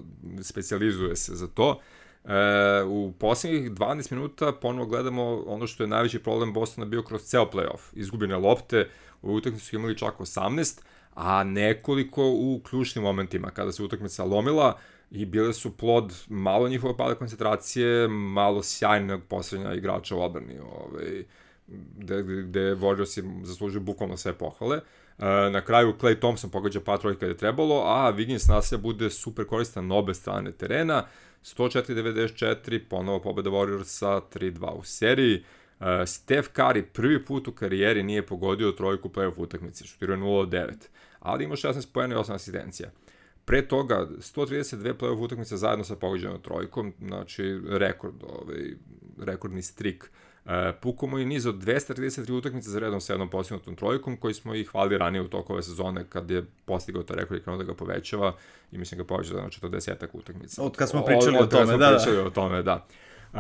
specijalizuje se za to. E, u posljednjih dvanaest minuta ponovo gledamo ono što je najveći problem Bostona bio kroz ceo play-off. Izgubljene lopte, u utakmici su imali čak osamnaest, a nekoliko u ključnim momentima kada se utakmica lomila i bile su plod malo njihove pada koncentracije, malo sjajnog poslednja igrača u odbrani, ovaj, gde, gde Warriorsi zaslužuju bukvalno sve pohvale. E, na kraju Klay Thompson pogađa par trojke kada je trebalo, a Wiggins nasilja bude super koristan na obe strane terena. sto četiri devedeset četiri, ponovo pobeda Warriorsa, tri dva u seriji. Uh, Steph Curry prvi put u karijeri nije pogodio trojku u play-off utakmici, šutirao je nula od devet, ali ima šesnaest poena i osam asistencija. Pre toga, sto trideset dve play-off utakmice zajedno sa pogođenom trojkom, znači rekord, ovaj, rekordni strik. Uh, Pukamo i niz od dvesta trideset tri utakmice za redom sa jednom postignutom trojkom, koji smo ih hvali ranije u toku ove sezone kad je postigao taj rekord i krenuo da ga povećava i mislim ga povećava na četrdesetak utakmica. Od kad smo pričali o, od, o tome, smo da, pričali da. o tome, da. Uh,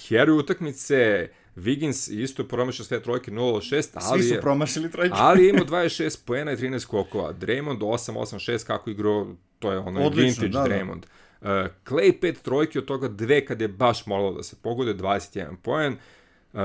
heroj utakmice, Wiggins isto je promašao sve trojke nula od šest, ali svi su promašili trojke. ali ima dvadeset šest poena i trinaest skokova. Draymond osam osam šest kako igrao, to je ono vintage da, Draymond. Uh, Klay pet trojke, od toga dve kad je baš moralo da se pogode, dvadeset jedan poen. Uh,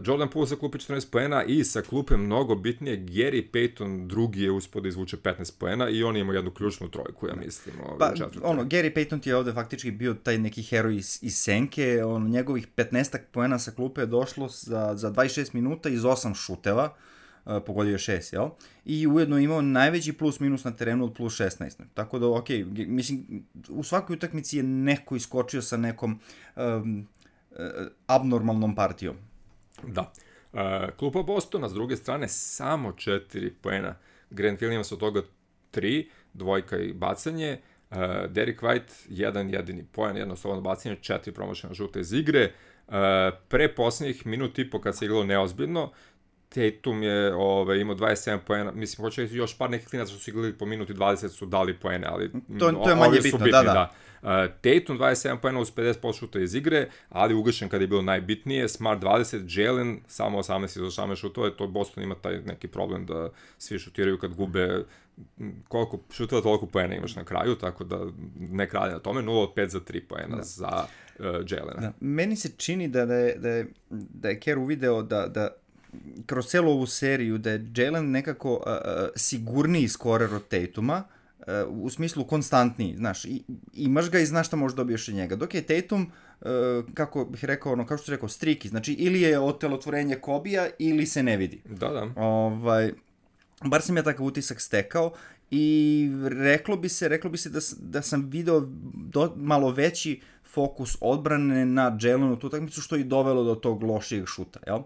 Jordan Poole sa klupe četrnaest poena i sa klupe mnogo bitnije Gary Payton drugi je uspio da izvuče petnaest poena i on ima jednu ključnu trojku, ja mislim. Pa, ono, Gary Payton ti je ovde faktički bio taj neki heroj iz, iz senke, on, njegovih petnaest poena sa klupe je došlo za, za dvadeset šest minuta iz osam šuteva, uh, pogodio je šest, jel? I ujedno imao najveći plus minus na terenu od plus šesnaest. Tako da, ok, mislim, u svakoj utakmici je neko iskočio sa nekom um, uh, abnormalnom partijom. Da. Uh, klupa Bostona, s druge strane, samo četiri poena. Grant Williams od toga tri, dvojka i bacanje. Uh, Derek White, jedan jedini poen, jedno slobodno bacanje, četiri promašena žuta iz igre. Uh, pre posljednjih minut i po kad se igralo neozbiljno, Tatum je ove, imao dvadeset sedam poena, mislim, hoće još par nekih klinaca što su igrali po minuti dvadeset su dali poene, ali to, to je manje bitno, bitni, da, da. da. Uh, Tatum dvadeset sedam poena uz pedeset posto šuta iz igre, ali ugašen kada je bilo najbitnije, Smart dvadeset, Jalen samo osamnaest iz osamnaest šutova, to Boston ima taj neki problem da svi šutiraju kad gube koliko šutova, toliko poena imaš na kraju, tako da ne kralje na tome, nula od pet za tri poena da. za uh, Jalena. Da. Meni se čini da, da je, da je, da je Kerr uvideo da, da kroz celu ovu seriju da je Jalen nekako uh, sigurniji skorer od Tatuma, uh, u smislu konstantniji, znaš, i, imaš ga i znaš šta možeš dobiješ od njega. Dok je Tatum, uh, kako bih rekao, ono, kao što rekao, striki, znači ili je otelotvorenje Kobija ili se ne vidi. Da, da. Ovaj, bar sam ja takav utisak stekao i reklo bi se, reklo bi se da, da sam video do, malo veći fokus odbrane na Jalenu tu utakmicu, što je dovelo do tog lošijeg šuta, jel?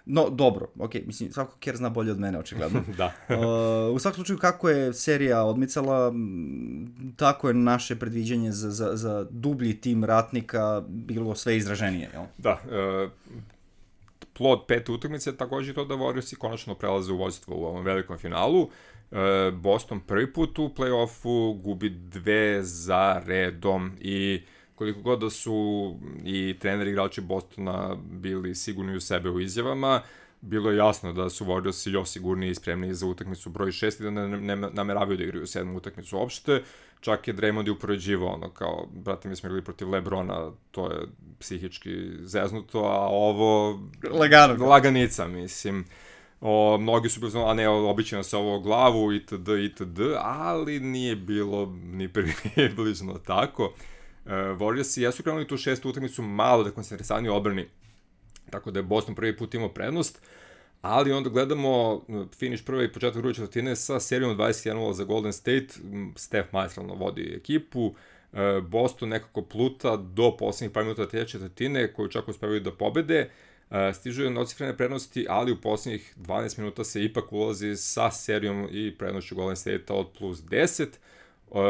No, dobro, ok, mislim, svako Kerr zna bolje od mene, očigledno. Da. uh, u svakom slučaju, kako je serija odmicala, tako je naše predviđanje za, za, za dublji tim ratnika bilo sve izraženije, jel? Da, uh, plod pete utakmice je također to da Warriorsi konačno prelaze u vođstvo u ovom velikom finalu. Uh, Boston prvi put u play-offu gubi dve za redom i koliko god da su i treneri igrači Bostona bili sigurni u sebe u izjavama, bilo je jasno da su Warriorsi još sigurniji i spremniji za utakmicu broj šest i da ne, ne, ne nameravaju da igraju sedmu utakmicu uopšte. Čak je Draymond i upoređivao ono kao, brate, mi smo igrali protiv Lebrona, to je psihički zeznuto, a ovo... Lagano. Laganica, mislim. O, mnogi su bili, a ne, obično se ovo glavu itd. itd. Ali nije bilo ni približno tako. Uh, Warriorsi jesu krenuli tu šestu utakmicu malo da koncentrisani odbrani, tako da je Boston prvi put imao prednost, ali onda gledamo finish prve i početak druge četvrtine sa serijom dvadeset jedan nula za Golden State. Steph maestralno vodi ekipu, uh, Boston nekako pluta do poslednjih par minuta te četvrtine koju čak uspevaju da pobede, uh, stižu je nocifrene prednosti, ali u poslednjih dvanaest minuta se ipak ulazi sa serijom i prednošću Golden State-a od plus deset. Uh,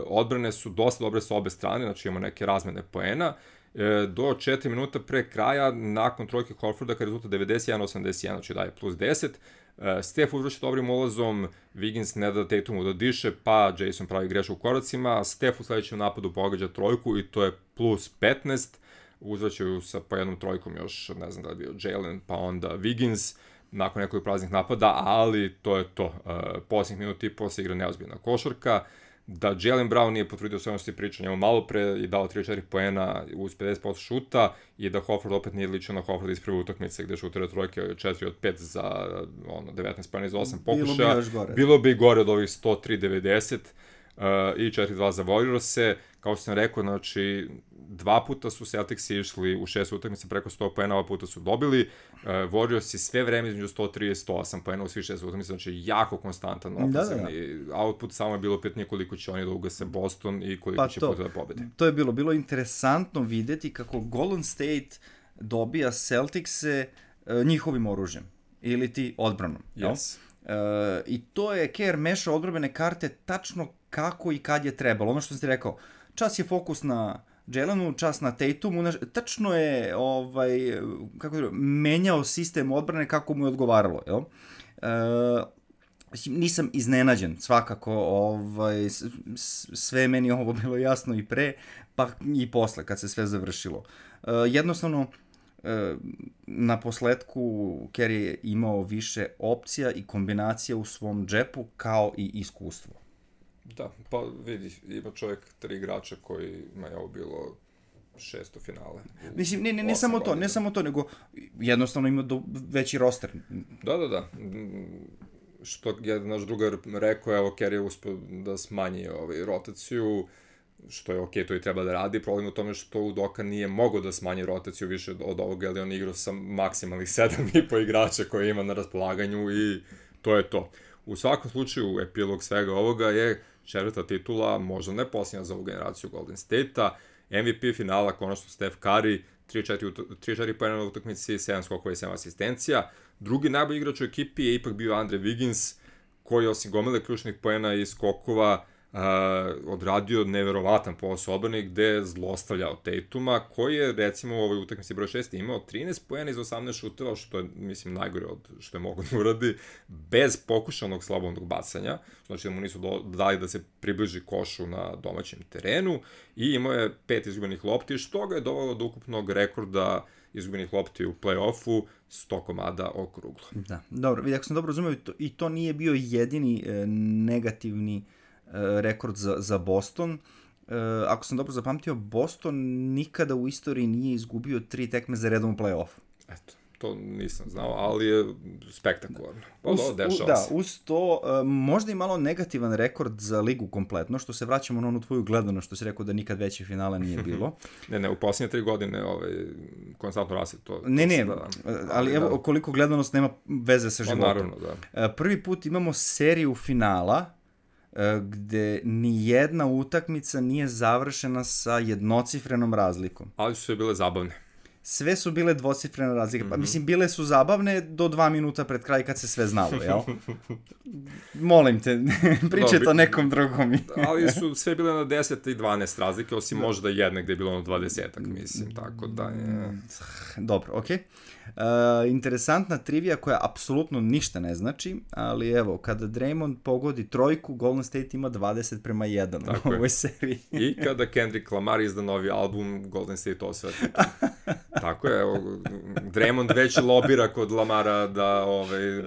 odbrane su dosta dobre sa obe strane, znači imamo neke razmene poena. Uh, do četiri minuta pre kraja, nakon trojke Horforda, kada je rezultat devedeset jedan osamdeset jedan, znači daje plus deset. Uh, Steph uzvrši dobrim ulazom, Wiggins ne da Tatumu da diše, pa Jason pravi grešku u koracima, Steph u sledećem napadu pogađa trojku i to je plus petnaest. Uzvraćaju sa po jednom trojkom još, ne znam da je bio Jalen, pa onda Wiggins, nakon nekog praznih napada, ali to je to. Uh, posljednjih minuta i posle igra neozbiljna košarka. Da Jaylen Brown nije potvrdio sve ono što je pričao njemu malo pre i dao tri četiri poena uz pedeset posto šuta i da Horford opet nije ličio na Horford iz prve utakmice gde šutira trojke četiri od pet za ono, devetnaest poena iz osam pokušaja. Bilo bi, Bilo bi gore od ovih sto tri devedeset uh, i četiri dva za Warriors-e. Kao što sam rekao, znači, dva puta su Celticsi išli u šest utakmice preko sto poena, ova puta su dobili. Uh, Warriorsi sve vreme između sto tri i sto osam poena u svih šest utakmice, znači jako konstantan ofenzivni da, da. output, samo je bilo pitanje koliko će oni da ugase Boston i koliko pa će puta da pobede. To je bilo, bilo interesantno videti kako Golden State dobija Celticse uh, njihovim oružjem, ili ti odbranom. Yes. Uh, I to je Kerr mešao odbrambene karte tačno kako i kad je trebalo. Ono što sam ti rekao, čas je fokus na Jalenu, čas na Tatumu, tačno je ovaj, kako je, menjao sistem odbrane kako mu je odgovaralo. Jel? E, nisam iznenađen, svakako, ovaj, sve meni ovo bilo jasno i pre, pa i posle, kad se sve završilo. E, jednostavno, e, na posledku Kerr je imao više opcija i kombinacija u svom džepu, kao i iskustvo. Da, pa vidi, ima čovjek tri igrača koji ima je ovo bilo šesto finale. Mislim, ne, ne, ne samo to, ne samo to, nego jednostavno ima do, veći roster. Da, da, da. Što je naš drugar rekao, evo, Kerry je uspio da smanji ovaj, rotaciju, što je okej, okay, to i treba da radi. Problem u tome što Udoka nije mogao da smanji rotaciju više od ovoga, ali on igrao sa maksimalnih sedam i po igrača koje ima na raspolaganju i to je to. U svakom slučaju, epilog svega ovoga je četvrta titula, možda ne posljednja za ovu generaciju Golden State-a, M V P finala, konačno Steph Curry, tri četiri poena na utakmici, sedam skokova i sedam asistencija. Drugi najbolji igrač u ekipi je ipak bio Andre Wiggins, koji osim gomile ključnih poena i skokova uh, odradio neverovatan posao odbrane gde je zlostavljao Tatuma, koji je recimo u ovoj utakmici broj šest imao trinaest poena iz osamnaest šuteva, što je mislim najgore od što je mogo da uradi, bez pokušanog slobodnog bacanja, znači da mu nisu do, dali da se približi košu na domaćem terenu, i imao je pet izgubenih lopti, što ga je dovelo do ukupnog rekorda izgubenih lopti u play-offu, sto komada okruglo. Da, dobro, vidi, ako sam dobro razumio, i to nije bio jedini e, negativni e, rekord za, za Boston. E, ako sam dobro zapamtio, Boston nikada u istoriji nije izgubio tri tekme za redom u play-offu. Eto, to nisam znao, ali je spektakularno. Uz, da, u, da, uz to, uh, možda i malo negativan rekord za ligu kompletno, što se vraćamo na onu tvoju gledano, što si rekao da nikad veće finala nije bilo. ne, ne, u posljednje tri godine ovaj, konstantno raste to. Ne, ne, da, ali, ali evo, da. Koliko gledanost nema veze sa životom. Naravno, da. Uh, prvi put imamo seriju finala, uh, gde ni jedna utakmica nije završena sa jednocifrenom razlikom. Ali su sve bile zabavne. Sve su bile dvocifrene razlike. Pa, mislim, bile su zabavne do dva minuta pred kraj kad se sve znalo, jel? Molim te, pričaj to nekom drugom. Ali su sve bile na deset i dvanaest razlike, osim da. Možda jedne gde je bilo na dvadesetak, mislim, tako da je... Dobro, okej. Okay. Uh, interesantna trivija koja apsolutno ništa ne znači, ali evo, kada Draymond pogodi trojku, Golden State ima dvadeset prema jedan tako u ovoj seriji. I kada Kendrick Lamar izda novi album, Golden State osveti. Tako je, evo, Draymond već lobira kod Lamara da ovaj,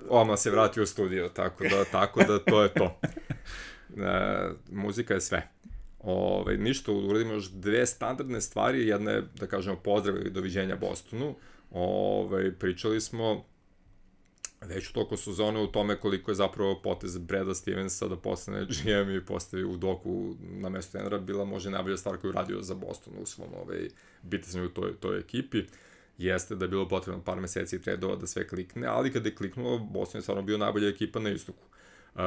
oma se vrati u studio, tako da, tako da to je to. E, muzika je sve. Ove, ništa, uradimo još dve standardne stvari, jedna je, da kažemo, pozdrav i doviđenja Bostonu. Ove, pričali smo već u toku sezone u tome koliko je zapravo potez Brada Stevensa da postane G M i postavi Udoku na mesto trenera bila možda najbolja stvar koju radio za Boston u svom ovaj, bitanju u toj, toj ekipi. Jeste da je bilo potrebno par meseci i tredova da sve klikne, ali kada je kliknulo, Boston je stvarno bio najbolja ekipa na istoku. Uh,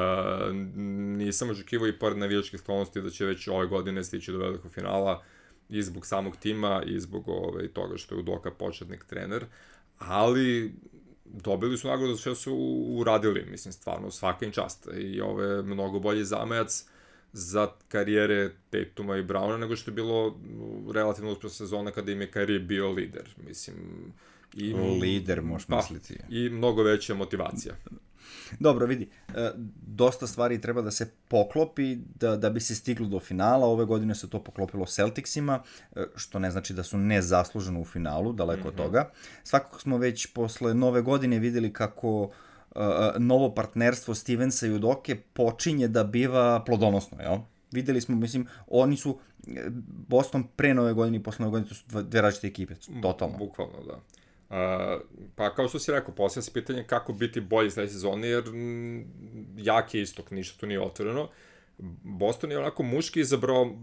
nisam očekivao i pored navijačkih sklonosti da će već ove godine stići do velikog finala i zbog samog tima i zbog ove, toga što je Udoka početnik trener, ali dobili su nagradu što su uradili, mislim, stvarno svaka im čast i ovo je mnogo bolji zamajac za karijere Tatuma i Browna nego što je bilo relativno uspješna sezona kada im je Kyrie bio lider, mislim. I, lider, možeš pa, misliti. I mnogo veća motivacija. Dobro, vidi, dosta stvari treba da se poklopi da, da bi se stiglo do finala. Ove godine se to poklopilo Celticsima, što ne znači da su nezasluženo u finalu, daleko mm-hmm. od toga. Svakako smo već posle nove godine videli kako uh, novo partnerstvo Stevensa i Udoke počinje da biva plodonosno, jel? Videli smo, mislim, oni su Boston pre nove godine i posle nove godine, to su dve različite ekipe, totalno. Bukvalno, da. Uh, pa kao što si rekao, posljedno se pitanje kako biti bolji sledeće sezone, jer m, jak je istok, ništa tu nije otvoreno. Boston je onako muški izabrao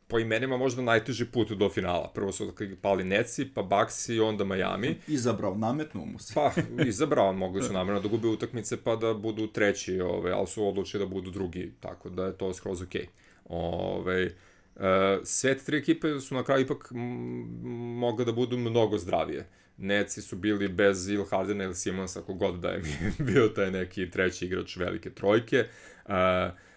po imenima možda najteži put do finala. Prvo su pali Netsi, pa Bucks i onda Miami. Izabrao, nametnuo mu se. Pa, izabrao, mogli su namjerno da gube utakmice pa da budu treći, ove, ali su odlučili da budu drugi, tako da je to skroz okej. Okay. Uh, sve tri ekipe su na kraju ipak mogle da budu mnogo zdravije. Netsi su bili bez Il Hardena ili Simonsa, ako god da je bio taj neki treći igrač velike trojke. Uh,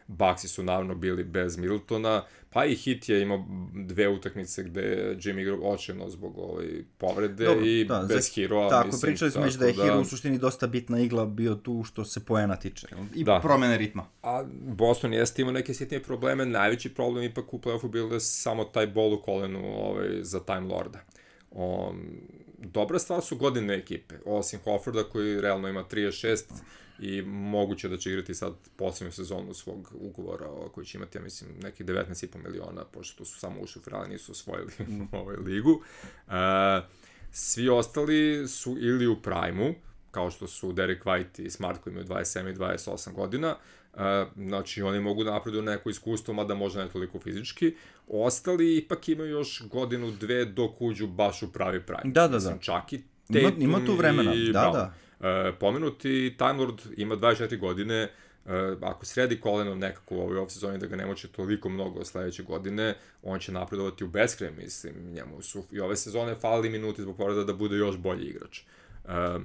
Bucksi su naravno bili bez Middletona, pa i Heat je imao dve utakmice gde je Jimmy igrao očajno zbog ovaj povrede. Dobro, i da, bez Heroa. Tako, mislim, pričali smo već da je da... Hero u suštini dosta bitna igla bio tu što se poena tiče. I da. Promene ritma. A Boston jeste imao neke sitnije probleme, najveći problem ipak u play-offu bilo je samo taj bol u kolenu ovaj, za Time Lorda. Um, dobra stvar su godine ekipe, osim Horforda koji realno ima trideset šest i moguće da će igrati sad posljednju sezonu svog ugovora koji će imati, ja mislim, nekih devetnaest i po miliona, pošto su samo ušli u finale, nisu osvojili mm. ovaj ligu. Uh, svi ostali su ili u prime-u, kao što su Derek White i Smart koji imaju dvadeset sedam i dvadeset osam godina, uh, znači oni mogu da napreduju neko iskustvo, mada možda ne toliko fizički. Ostali ipak imaju još godinu, dve dok uđu baš u pravi prime. Da, da, da. Mislim, čak i Tatum ima, ima tu vremena, i da, Brown. da. Uh, pomenuti Time Lord ima dvadeset četiri godine, uh, ako sredi koleno nekako u ovoj off-sezoni da ga ne moće toliko mnogo sledeće godine, on će napredovati u beskraj, mislim, njemu su i ove sezone falili minuti zbog povreda da bude još bolji igrač. Uh,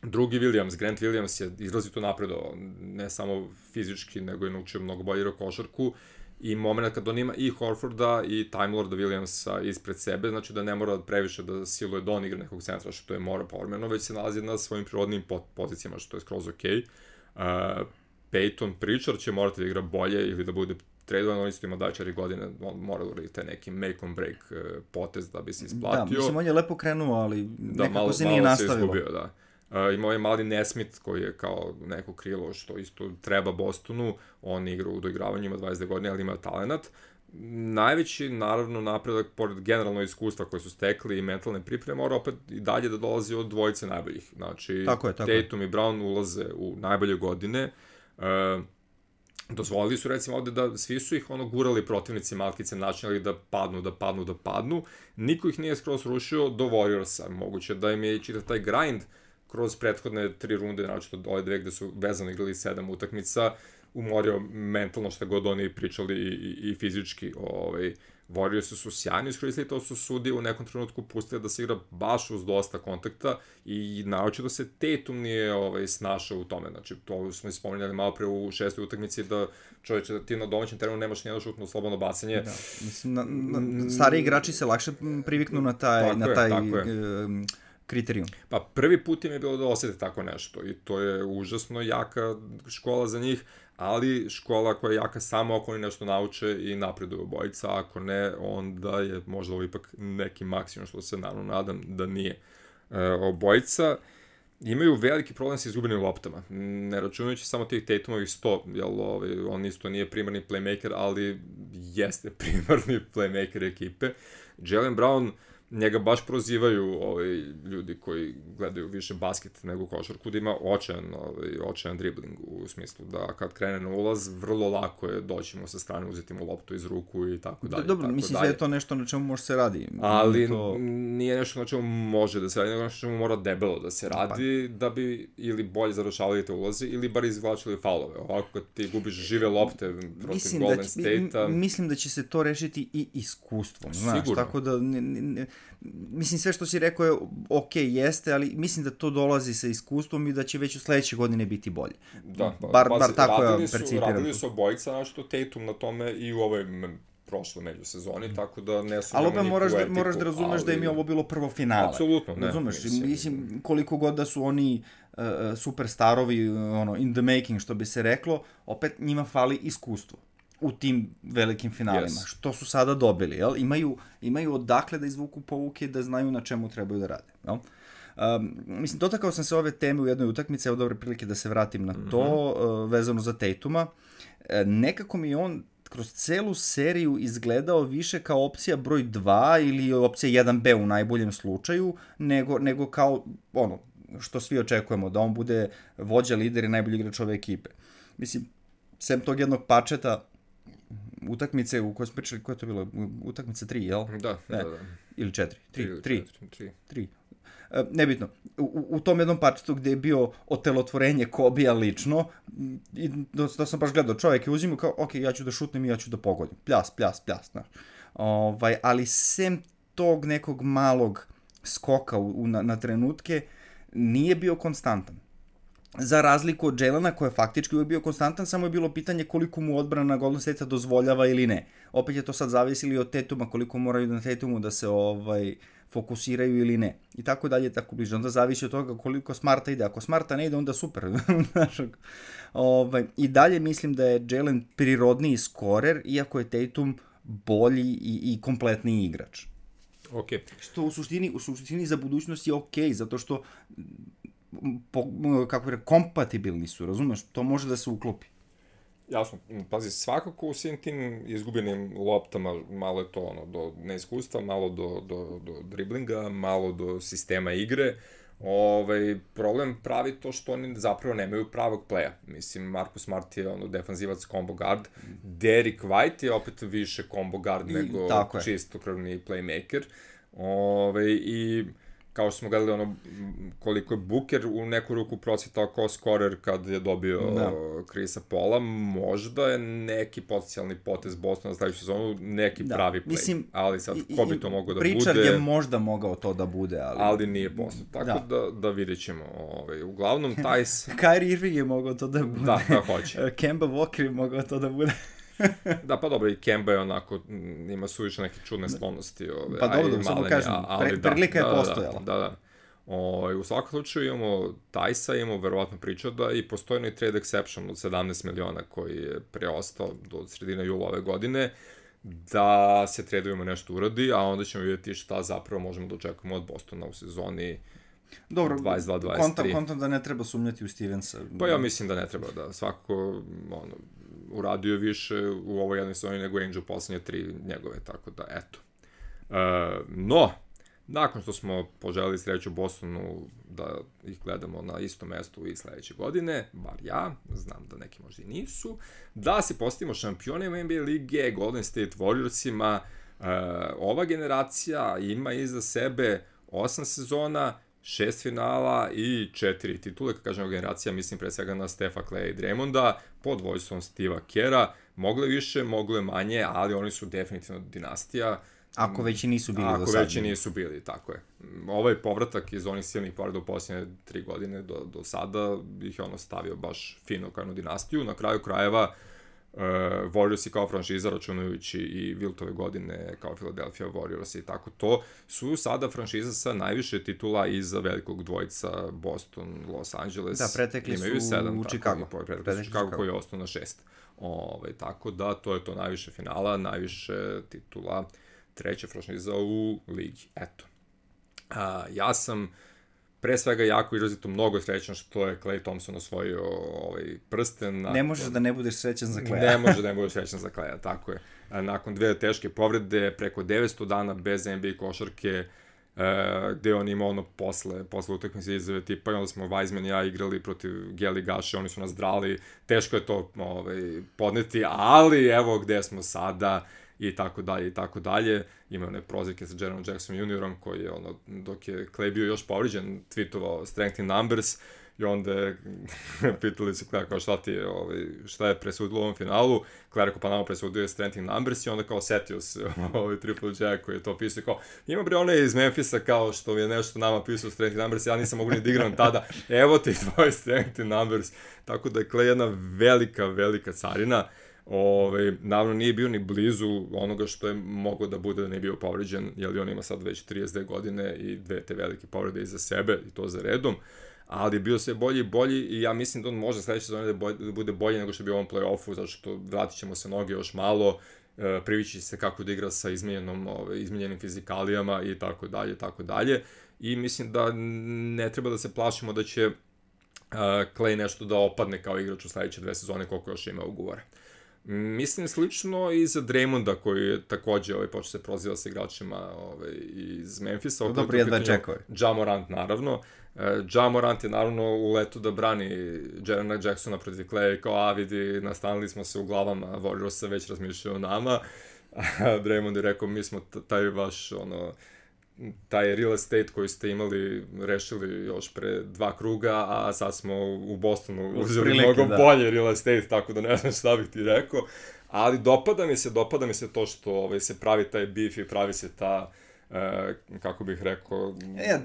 drugi Williams, Grant Williams je izrazito napredovao, ne samo fizički, nego je naučio mnogo bolje igrao košarku, i moment kad on ima i Horforda i Time Lorda Williamsa ispred sebe, znači da ne mora previše da siluje da on igra nekog centra, što je mora povremeno, već se nalazi na svojim prirodnim pozicijama, što je skroz okej. Okay. Uh, Peyton Pritchard će morati da igra bolje ili da bude tradovan, on isto ima dvadeset četiri godine, on mora da uradi taj neki make on break uh, potez da bi se isplatio. Da, mislim, on je lepo krenuo, ali da, nekako malo, se nije nastavilo. Da, malo se izgubio, da. Uh, imao je mali Nesmith koji je kao neko krilo što isto treba Bostonu, on igra u doigravanju, ima dvadeset godine, ali ima talenat. Najveći, naravno, napredak, pored generalno iskustva koje su stekli i mentalne pripreme, mora opet i dalje da dolazi od dvojice najboljih. Znači, tako je, tako Tatum je. i Brown ulaze u najbolje godine. Uh, dozvolili su, recimo, ovde da svi su ih ono gurali protivnici malkice, načinjali da padnu, da padnu, da padnu. Niko ih nije skroz rušio do Warriorsa. Moguće da im je i čitav taj grind kroz prethodne tri runde, znači od ove dve gde su vezano igrali sedam utakmica, umorio mentalno šta god oni pričali i, i, i fizički. Ovaj, Warriorsi su sjajno iskoristili, to su sudije u nekom trenutku pustili da se igra baš uz dosta kontakta i naoče da se Tatum nije ovaj, snašao u tome. Znači, to smo ispominjali malo pre u šestoj utakmici da čovječe, da ti na domaćem terenu nemaš nijedno šutno slobodno bacanje. Da, mislim, na, na, stari igrači se lakše priviknu na taj, tako na je, taj um, kriterijum. Pa prvi put im je bilo da osjeti tako nešto i to je užasno jaka škola za njih, ali škola koja je jaka samo ako oni nešto nauče i napreduju obojica, ako ne, onda je možda ovo ipak neki maksimum, što se naravno nadam da nije. E, obojica imaju veliki problem sa izgubenim loptama, ne računajući samo tih Tatumovih sto, jel, ovaj, on isto nije primarni playmaker, ali jeste primarni playmaker ekipe. Jaylen Brown, njega baš prozivaju ovaj, ljudi koji gledaju više basket nego košarku, da ima očajan, ovaj, očajan dribling u smislu da kad krene na ulaz, vrlo lako je doći mu sa strane, uzeti mu loptu iz ruku i tako dalje. Dobro, tako mislim dalje. da je to nešto na čemu može se radi. Ali to... nije nešto na čemu može da se radi, nego nešto na čemu mora debelo da se radi, pa. Da bi ili bolje završavali te ulaze ili bar izvlačili faulove. Ovako kad ti gubiš žive lopte protiv mislim Golden da State-a... Mislim da će se to rešiti i iskustvom, znaš, sigurno. Tako da... Ne, ne, mislim, sve što si rekao je ok, jeste, ali mislim da to dolazi sa iskustvom i da će već u sledeće godine biti bolje. Da, pa, bar, pa, bar tako ja su, percipiram. Radili su obojica, nešto Tatum na tome i u ovoj prošloj međusezoni, tako da ne su... Ali opet moraš, da, moraš da razumeš ali... da im je ovo bilo prvo finale. Apsolutno, ne. Razumeš, mislim, mislim, koliko god da su oni uh, superstarovi, ono, in the making, što bi se reklo, opet njima fali iskustvo u tim velikim finalima, yes. Što su sada dobili, jel? Imaju, imaju odakle da izvuku pouke, da znaju na čemu trebaju da rade, jel? Um, mislim, dotakao sam se ove teme u jednoj utakmici, evo dobre prilike da se vratim na to, mm-hmm. uh, vezano za Tatuma. E, nekako mi je on kroz celu seriju izgledao više kao opcija broj dva ili opcija jedan be u najboljem slučaju, nego, nego kao ono, što svi očekujemo, da on bude vođa, lider i najbolji igrač ove ekipe. Mislim, sem tog jednog pačeta, utakmice u kojoj smo pričali, koja je to bila? Utakmica tri, jel? Da, ne. da, da. Ili četiri? Tri, tri. tri. tri. tri. E, nebitno. U, u tom jednom parčetu gde je bio otelotvorenje Kobija lično, i da, da sam baš gledao, čovjek je uzimao kao, ok, ja ću da šutnem i ja ću da pogodim. Pljas, pljas, pljas, znaš. Ovaj, ali sem tog nekog malog skoka u, u, na, na trenutke, nije bio konstantan. Za razliku od Jaylena, koji je faktički uvijek bio konstantan, samo je bilo pitanje koliko mu odbrana Golden State-a dozvoljava ili ne. Opet je to sad zavisili od Tatuma, koliko moraju na Tatumu da se ovaj fokusiraju ili ne. I tako dalje, tako bliže. Onda zavisi od toga koliko Smarta ide. Ako Smarta ne ide, onda super. ovaj, I dalje mislim da je Jaylen prirodniji skorer, iako je Tatum bolji i, i kompletniji igrač. Ok. Što u suštini, u suštini za budućnost je okej, zato što po, kako bi rekao, kompatibilni su, razumeš? To može da se uklopi. Jasno, pazi, svakako u svim tim izgubljenim loptama malo je to ono, do neiskustva, malo do, do, do driblinga, malo do sistema igre. Ovaj, problem pravi to što oni zapravo nemaju pravog playa. Mislim, Marcus Smart je ono defanzivac combo guard, Derek White je opet više combo guard I, nego čistokrvni playmaker. Ovaj, i kao što smo gledali ono, koliko je Booker u neku ruku procvetao kao skorer kad je dobio da. Chrisa Paula, možda je neki potencijalni potez Bostona za sledeću sezonu, neki da. pravi play. Mislim, ali sad, ko bi to mogao da bude? Pritchard je možda mogao to da bude, ali... Ali nije postao, tako da, da, da vidjet ćemo. Ovaj, uglavnom, Tajs... Kyrie Irving je mogao to da bude. Da, da hoće. Kemba Walker je mogao to da bude. Da, pa dobro, i Kemba je onako, ima suviše neke čudne sklonosti. Ove, pa dobro, da samo kažem, pre, prilika da, je postojala. Da, da, da. O, u svakom slučaju imamo Tajsa, imamo verovatno Pritcharda i postoji i trade exception od sedamnaest miliona koji je preostao do sredine jula ove godine, da se tradujemo nešto uradi, a onda ćemo vidjeti šta zapravo možemo da očekujemo od Bostona u sezoni dobro, dvadeset dva dvadeset tri. Kontam, kontam da ne treba sumnjati u Stevensa. Pa ja mislim da ne treba, da svakako ono, uradio više u ovoj jednoj sezoni nego Angel poslednje tri njegove, tako da eto. E, no, nakon što smo poželili sreću Bostonu da ih gledamo na istom mestu i sledeće godine, bar ja, znam da neki možda i nisu, da se postavimo šampionima N B A lige, Golden State Warriorsima, e, ova generacija ima iza sebe osam sezona, šest finala i četiri titule, kad kažemo generacija, mislim pre svega na Stefa Claya i Draymonda, pod vojstvom Steve'a Kera, mogle više, mogle manje, ali oni su definitivno dinastija. Ako već i nisu bili Ako do sada. Ako već i nisu bili, tako je. Ovaj povratak iz onih silnih povreda u posljednje tri godine do, do sada ih je ono stavio baš fino kao jednu dinastiju. Na kraju krajeva, Uh, Warriors i kao franšiza, računajući i Wiltove godine kao Philadelphia Warriors i tako to, su sada franšiza sa najviše titula iza velikog dvojica Boston, Los Angeles. Da, pretekli imaju su sedam, u Chicago. Tako, pretekli su Chicago koji je ostao na šest. Ove, tako da, to je to najviše finala, najviše titula, treća franšiza u ligi. Eto. Uh, ja sam pre svega jako izrazito mnogo srećan što je Klay Thompson osvojio ovaj prsten. Nakon... Ne možeš da ne budeš srećan za Klaya. Ne može da ne budeš srećan za Klaya, tako je. Nakon dve teške povrede, preko devetsto dana bez N B A košarke, gde on ima ono posle, posle utakmice izjave tipa, i onda smo Wiseman i ja igrali protiv Geli Gaše, oni su nas drali, teško je to ovaj, podneti, ali evo gde smo sada, i tako dalje, i tako dalje. Ima one prozivke sa Jarenom Jackson juniorom, koji je, ono, dok je Klay bio još povriđen, tweetovao strength in numbers, i onda je, pitali se Klay, kao šta ti je, ovaj, šta je presudilo u ovom finalu, Klay rekao, pa nama presudio je strength in numbers, i onda kao setio se, ovaj Triple J koji je to pisao, kao, ima bre one iz Memphisa, kao što je nešto nama pisao strength in numbers, ja nisam mogu ni da igram tada, evo ti tvoj strength in numbers, tako da je Klay jedna velika, velika carina. Ove, naravno nije bio ni blizu onoga što je moglo da bude da nije bio povređen, jer on ima sad već trideset dve godine i dve te velike povrede iza sebe, i to za redom, ali je bio sve bolji i bolji, i ja mislim da on može sledeće sezone da, bolj, da bude bolji nego što je bio u ovom play-offu, zato što vratit ćemo se noge još malo, e, privići se kako da igra sa izmenjenom, ove, izmenjenim fizikalijama i tako dalje, tako dalje, i mislim da ne treba da se plašimo da će uh, Klay nešto da opadne kao igrač u sledeće dve sezone koliko još ima ugovora. Mislim slično i za Draymonda, koji je takođe ovaj, počeo se proziva sa igračima ovaj, iz Memphisa. Dobro, jedva čekove. Ja Morant, naravno. Ja Morant je naravno u letu da brani Jarena Jacksona protiv Klaya i kao, a vidi, nastanili smo se u glavama, Warriorsa već razmišljaju o nama. Draymond je rekao, mi smo taj vaš, ono, taj real estate koji ste imali, rešili još pre dva kruga, a sad smo u Bostonu uzeli mnogo da. bolje real estate, tako da ne znam šta bih ti rekao. Ali dopada mi se, dopada mi se to što ovaj, se pravi taj beef i pravi se ta, e, kako bih rekao...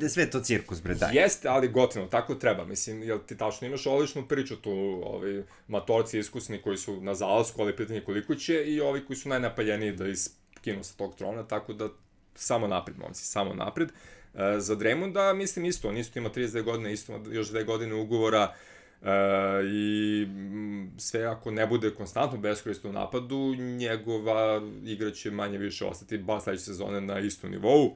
E, sve to cirkus, bre, daj. Jeste, ali gotivno, tako treba. Mislim, jel ti tačno imaš odličnu priču tu, ovaj, matorci iskusni koji su na zalasku, ali pitanje koliko će, i ovi koji su najnapaljeniji da iskinu sa tog trona, tako da samo napred, momci, samo napred. E, za Draymonda, mislim, isto, on isto ima trideset dve godine, isto ima još dve godine ugovora, e, i sve ako ne bude konstantno beskorisno u napadu, njegova igra će manje više ostati ba sledeće sezone na istom nivou.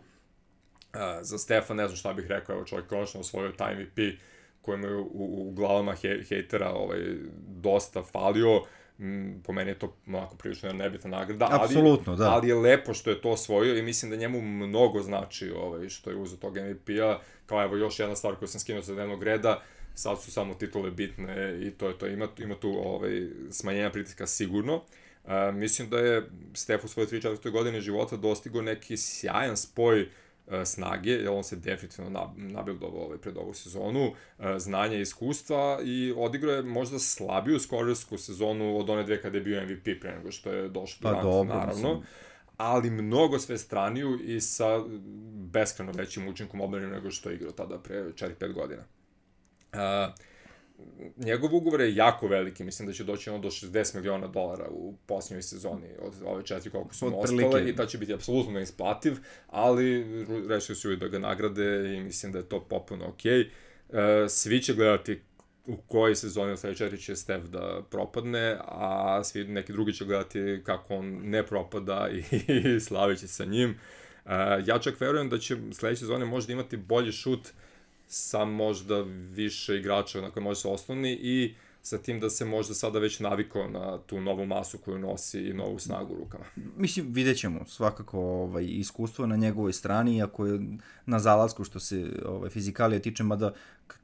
za Stefa ne znam šta bih rekao, evo čovjek konačno osvojio taj M V P kojem je u, u, u glavama he, hejtera ovaj, dosta falio. Mm, po meni je to onako prilično nebitna nagrada, ali, da. ali je lepo što je to osvojio i mislim da njemu mnogo znači ovaj, što je uzeo tog M V P-a, kao evo još jedna stvar koju sam skinuo sa dnevnog reda, sad su samo titule bitne i to je to, ima, ima tu ovaj, smanjenja pritiska sigurno. Uh, mislim da je Stef u svojoj trideset četvrtoj godine života dostigao neki sjajan spoj snage, jer on se definitivno nabildovao ovaj, pred ovu sezonu, znanje i iskustva i odigrao je možda slabiju skorersku sezonu od one dve kada je bio M V P pre nego što je došao do ranka, naravno, mislim. Ali mnogo sve straniju i sa beskreno većim učinkom odbrane nego što je igrao tada pre četiri pet godina. Uh, njegov ugovor je jako veliki, mislim da će doći ono do šezdeset miliona dolara u posljednjoj sezoni od ove četiri koliko su mu ostale i ta će biti apsolutno neisplativ, ali rešili su i da ga nagrade i mislim da je to popuno okej. Okay. Svi će gledati u kojoj sezoni od sledeće četiri će Stef da propadne, a svi neki drugi će gledati kako on ne propada i, i slavit će sa njim. Ja čak verujem da će sledeće sezone možda imati bolji šut sa možda više igrača na koje može se osnovni i sa tim da se možda sada već navikao na tu novu masu koju nosi i novu snagu u rukama. Mislim, vidjet ćemo svakako ovaj, iskustvo na njegovoj strani, iako je na zalasku što se ovaj, fizikalije tiče, mada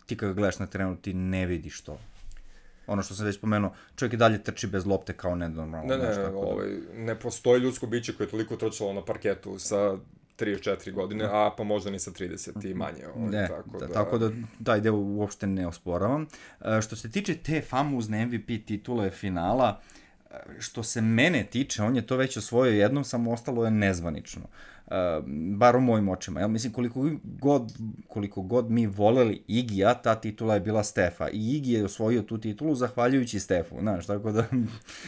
ti kada gledaš na terenu ti ne vidiš to. Ono što sam već spomenuo, čovjek i dalje trči bez lopte kao nenormalno. Ne, ne, ne, ovaj, ne postoji ljudsko biće koje je toliko trčalo na parketu sa trideset četiri godine, a pa možda ni sa trideset i manje. Ovaj, ne, tako da, da, tako da taj deo uopšte ne osporavam. E, što se tiče te famozne M V P titule finala, što se mene tiče, on je to već osvojio jednom, samo ostalo je nezvanično. Uh, bar u mojim očima. Ja mislim, koliko god, koliko god mi voleli Igija, ta titula je bila Stefa. I Igi je osvojio tu titulu zahvaljujući Stefu, znaš, tako da...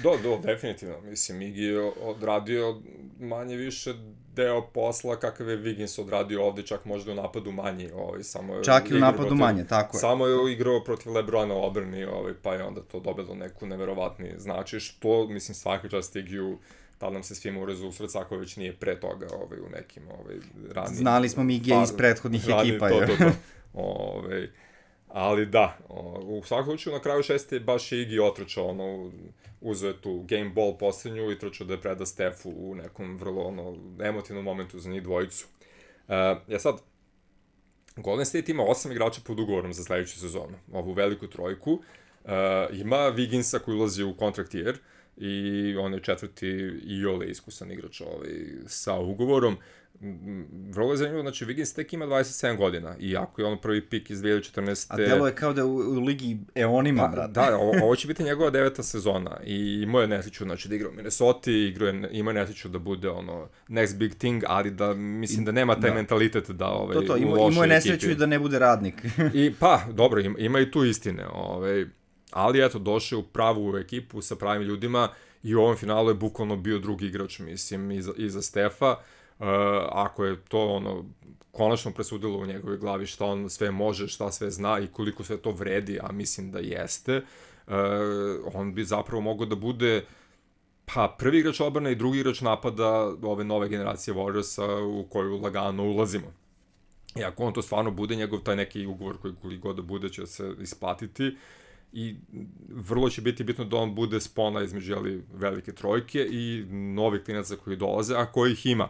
do, do, definitivno. Mislim, Igi je odradio manje više deo posla kakav je Wiggins odradio ovde, čak možda u napadu manji. Ovaj, samo čak i u napadu protiv, manje, tako je. Samo je igrao protiv Lebrona u obrani, ovaj, pa je onda to dobilo neku neverovatni znači, što, mislim, svaka čast Igiju tada nam se svima urezu u srca ako već nije pre toga ovaj, u nekim ovaj, ranim... Znali smo mi Igija iz prethodnih rani, ekipa. To, to, to. Ovaj, ali da, o, u svakom slučaju na kraju šeste baš je Igi otrčao, ono, uzeo je tu game ball posljednju i trčao da je preda Stefu u nekom vrlo ono, emotivnom momentu za njih dvojicu. Uh, ja sad, Golden State ima osam igrača pod ugovorom za sledeću sezonu, ovu veliku trojku. Uh, ima Wigginsa koji ulazi u contract year, i on je četvrti i ole iskusan igrač ovaj, sa ugovorom. Vrlo je zanimljivo, znači Wiggins tek ima dvadeset sedam godina, iako je on prvi pik iz dve hiljade četrnaeste. A delo je kao da u, u ligi eonima, brate. Da, ovo, ovo će biti njegova deveta sezona i imao je nesreću, znači da igra u Minnesota, igra je, ima nesreću da bude ono next big thing, ali da mislim da nema taj da. mentalitet da ovaj, to, to, ima, u lošoj imao je nesreću i da ne bude radnik. I pa, dobro, ima, ima i tu istine, ovaj, ali eto, došao u pravu ekipu sa pravim ljudima i u ovom finalu je bukvalno bio drugi igrač, mislim, iza, iza Stefa. Uh, ako je to ono konačno presudilo u njegovoj glavi šta on sve može, šta sve zna i koliko sve to vredi, a mislim da jeste, uh, on bi zapravo mogao da bude pa prvi igrač odbrane i drugi igrač napada ove nove generacije Warriorsa u koju lagano ulazimo. I ako on to stvarno bude, njegov taj neki ugovor koji koliko god da bude će se isplatiti, i vrlo će biti bitno da on bude spona između jeli, velike trojke i novih klinaca koji dolaze, a kojih ima.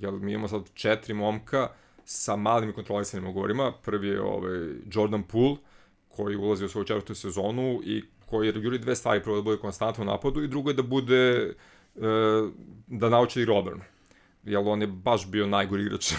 Jel, mi imamo sad četiri momka sa malim i kontrolisanim ugovorima. Prvi je ovaj, Jordan Poole, koji ulazi u svoju četvrtu sezonu i koji juri dve stvari. Prvo da bude konstantno u napadu i drugo je da bude e, da nauči igru odbranu. Jel, on je baš bio najgori igrač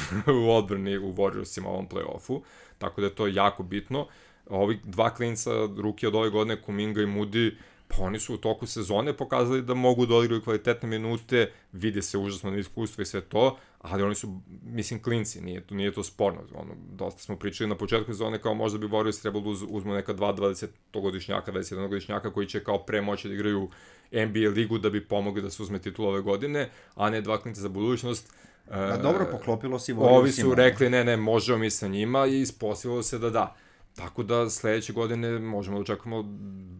u odbrani u Warriorsima u ovom play-offu, tako da je to jako bitno. Ovi dva klinca, ruki od ove godine, Kuminga i Moody, pa oni su u toku sezone pokazali da mogu da odigraju kvalitetne minute, vide se užasno na iskustvo i sve to, ali oni su, mislim, klinci, nije to, nije to sporno. Ono, dosta smo pričali na početku sezone kao možda bi Warriors trebalo da uz, uzmu neka dva dvadesetogodišnjaka, dvadeset jednogodišnjaka koji će kao pre moći da igraju N B A ligu da bi pomogli da se uzme titul ove godine, a ne dva klinca za budućnost. A dobro, poklopilo si Warriorsima. Ovi su rekli ne, ne, možemo mi sa njima i ispostavilo se da da. Tako da sledeće godine možemo da očekujemo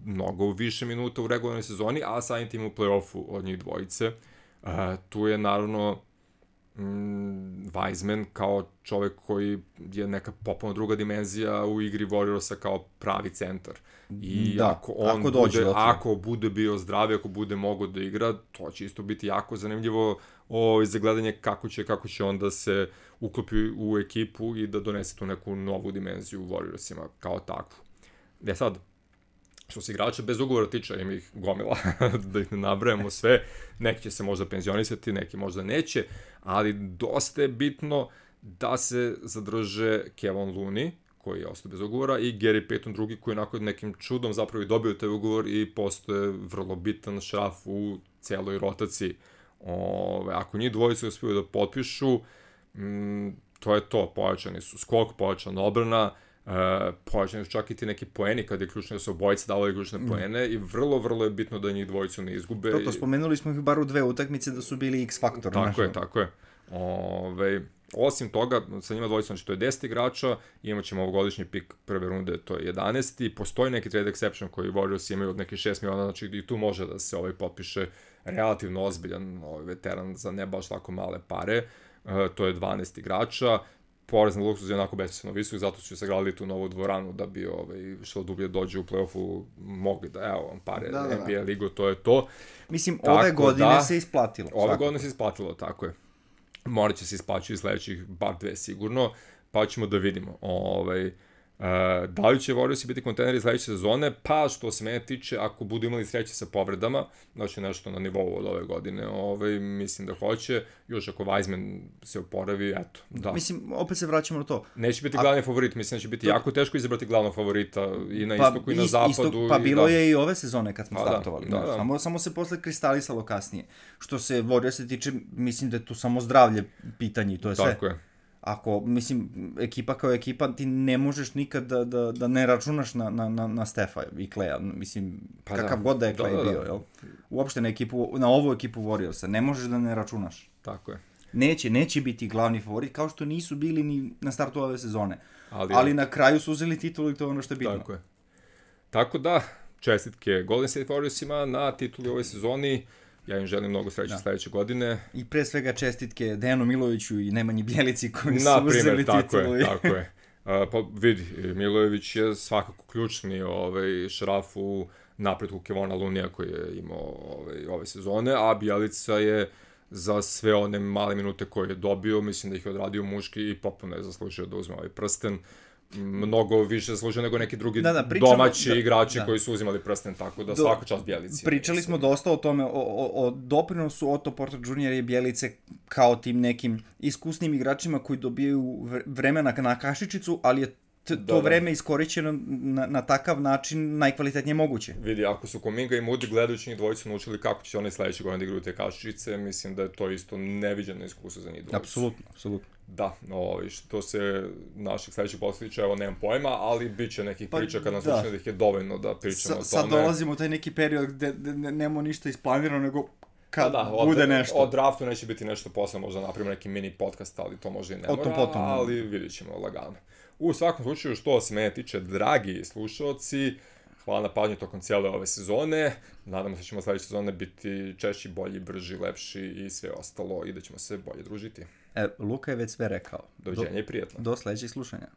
mnogo više minuta u regularnoj sezoni, a samim tim u play-offu od njih dvojice. Uh, tu je naravno mm, Wiseman kao čovek koji je neka popolno druga dimenzija u igri Warriorsa kao pravi centar. I da, ako on ako dođe, bude, okay. ako bude bio zdrav, ako bude mogao da igra, to će isto biti jako zanimljivo o, za gledanje kako će, kako će onda se uklopi u ekipu i da donese tu neku novu dimenziju u Warriorsima kao takvu. E sad, što se igrača bez ugovora tiče, ima ih gomila, da ih ne nabrajamo sve, neki će se možda penzionisati, neki možda neće, ali dosta je bitno da se zadrže Kevon Looney, koji je ostao bez ugovora, i Gary Payton drugi, koji onako nekim čudom zapravo i dobio taj ugovor i postoje vrlo bitan šraf u celoj rotaciji. Ove, ako njih dvojice uspiju da potpišu, mm, to je to, pojačani su skok, pojačana obrana, Uh, pojačani su čak i ti neki poeni kad je ključno da se obojice davali ključne mm. poene i vrlo, vrlo je bitno da njih dvojicu ne izgube. To, to spomenuli smo ih bar u dve utakmice da su bili X-faktor. Tako našo. je, tako je. Ove, osim toga, sa njima dvojica, znači to je deset igrača, imat ćemo ovogodišnji pik prve runde, to je jedanaesti. Postoji neki trade exception koji Warriors imaju od neke šest miliona, znači i tu može da se ovaj potpiše relativno ozbiljan ovaj veteran za ne baš tako male pare. Uh, to je dvanaest igrača. Porez na luksuz je onako besmisleno visok, zato su sagradili tu novu dvoranu da bi ovaj, što dublje dođe u play-offu mogli da, evo vam pare, da, da, N B A ligu, to je to. Mislim, tako ove godine da, se isplatilo. Ove svakako. godine se isplatilo, tako je. Morat će se isplaćati sledećih bar dve sigurno, pa ćemo da vidimo. Ovaj, Uh, da li će Warriorsi biti kontenderi sledeće sezone? Pa, što se mene tiče, ako budu imali sreće sa povredama, znači nešto na nivou od ove godine, ovaj, mislim da hoće, još ako Wiseman se oporavi, eto, da. Mislim, opet se vraćamo na to. Neće biti glavni A... favorit, mislim da će biti to... jako teško izabrati glavnog favorita i na pa, istoku i na ist, zapadu. Isto, pa bilo da. je i ove sezone kad smo pa, startovali. Da, da, da. Samo, samo se posle kristalisalo kasnije. Što se Warriorsa tiče, mislim da je tu samo zdravlje pitanje i to je sve. Tako je. Ako, mislim, ekipa kao ekipa, ti ne možeš nikad da, da, da ne računaš na, na, na, na Stefa i Kleja. Mislim, pa kakav da. god da je Klej da, da, da. bio, jel? Uopšte na, ekipu, na ovu ekipu Warriorsa. Ne možeš da ne računaš. Tako je. Neće, neće biti glavni favorit, kao što nisu bili ni na startu ove sezone. Ali, Ali je... na kraju su uzeli titulu i to je ono što je bitno. Tako je. Tako da, čestitke Golden State Warriorsima na tituli ove sezoni. Ja im želim mnogo sreće da. sledeće godine. I pre svega čestitke Dejanu Miloviću i Nemanji Bjelici koji su Naprimer, uzeli tako titulu. Je, tako je. Uh, pa vidi, Milojević je svakako ključni ovaj, šraf u napretku Kevona Loonija koji je imao ovaj, ove sezone, a Bjelica je za sve one male minute koje je dobio, mislim da ih je odradio muški i popolno je zaslužio da uzme ovaj prsten. Mnogo više zaslužio nego neki drugi da, da, pričamo, domaći da, igrači da. koji su uzimali prsten, tako da Do, svaka čast Bjelici. Pričali smo dosta o tome, o, o, o doprinosu Otto Porter junior i Bjelice kao tim nekim iskusnim igračima koji dobijaju vremena na kašičicu, ali je T- to da, vreme iskorišćeno na, na takav način najkvalitetnije moguće. Vidi, ako su Kuminga i Moody gledajući njih dvojicu naučili kako će oni sledeće godine da igraju te kašičice, mislim da je to isto neviđeno iskustvo za njih dvojicu. Apsolutno, apsolutno. Da, no, što se naših sledećih posljedića, evo nemam pojma, ali bit će nekih pa, priča kad nas slučaju da ih je dovoljno da pričamo Sa, o tome. Sad dolazimo u taj neki period gde, gde nemamo ništa isplanirano, nego kad da, da, bude od, nešto. O draftu neće biti nešto posle, možda napravimo neki mini podcast, ali to može i ne mora, potom, ali vidjet ćemo lagano. U svakom slučaju, što se mene tiče, dragi slušalci, hvala na pažnju tokom cijele ove sezone. Nadamo se da ćemo sledeće sezone biti češći, bolji, brži, lepši i sve ostalo i da ćemo se bolje družiti. E, Luka je već sve rekao. Doviđenja i prijetno. Do sledećeg slušanja.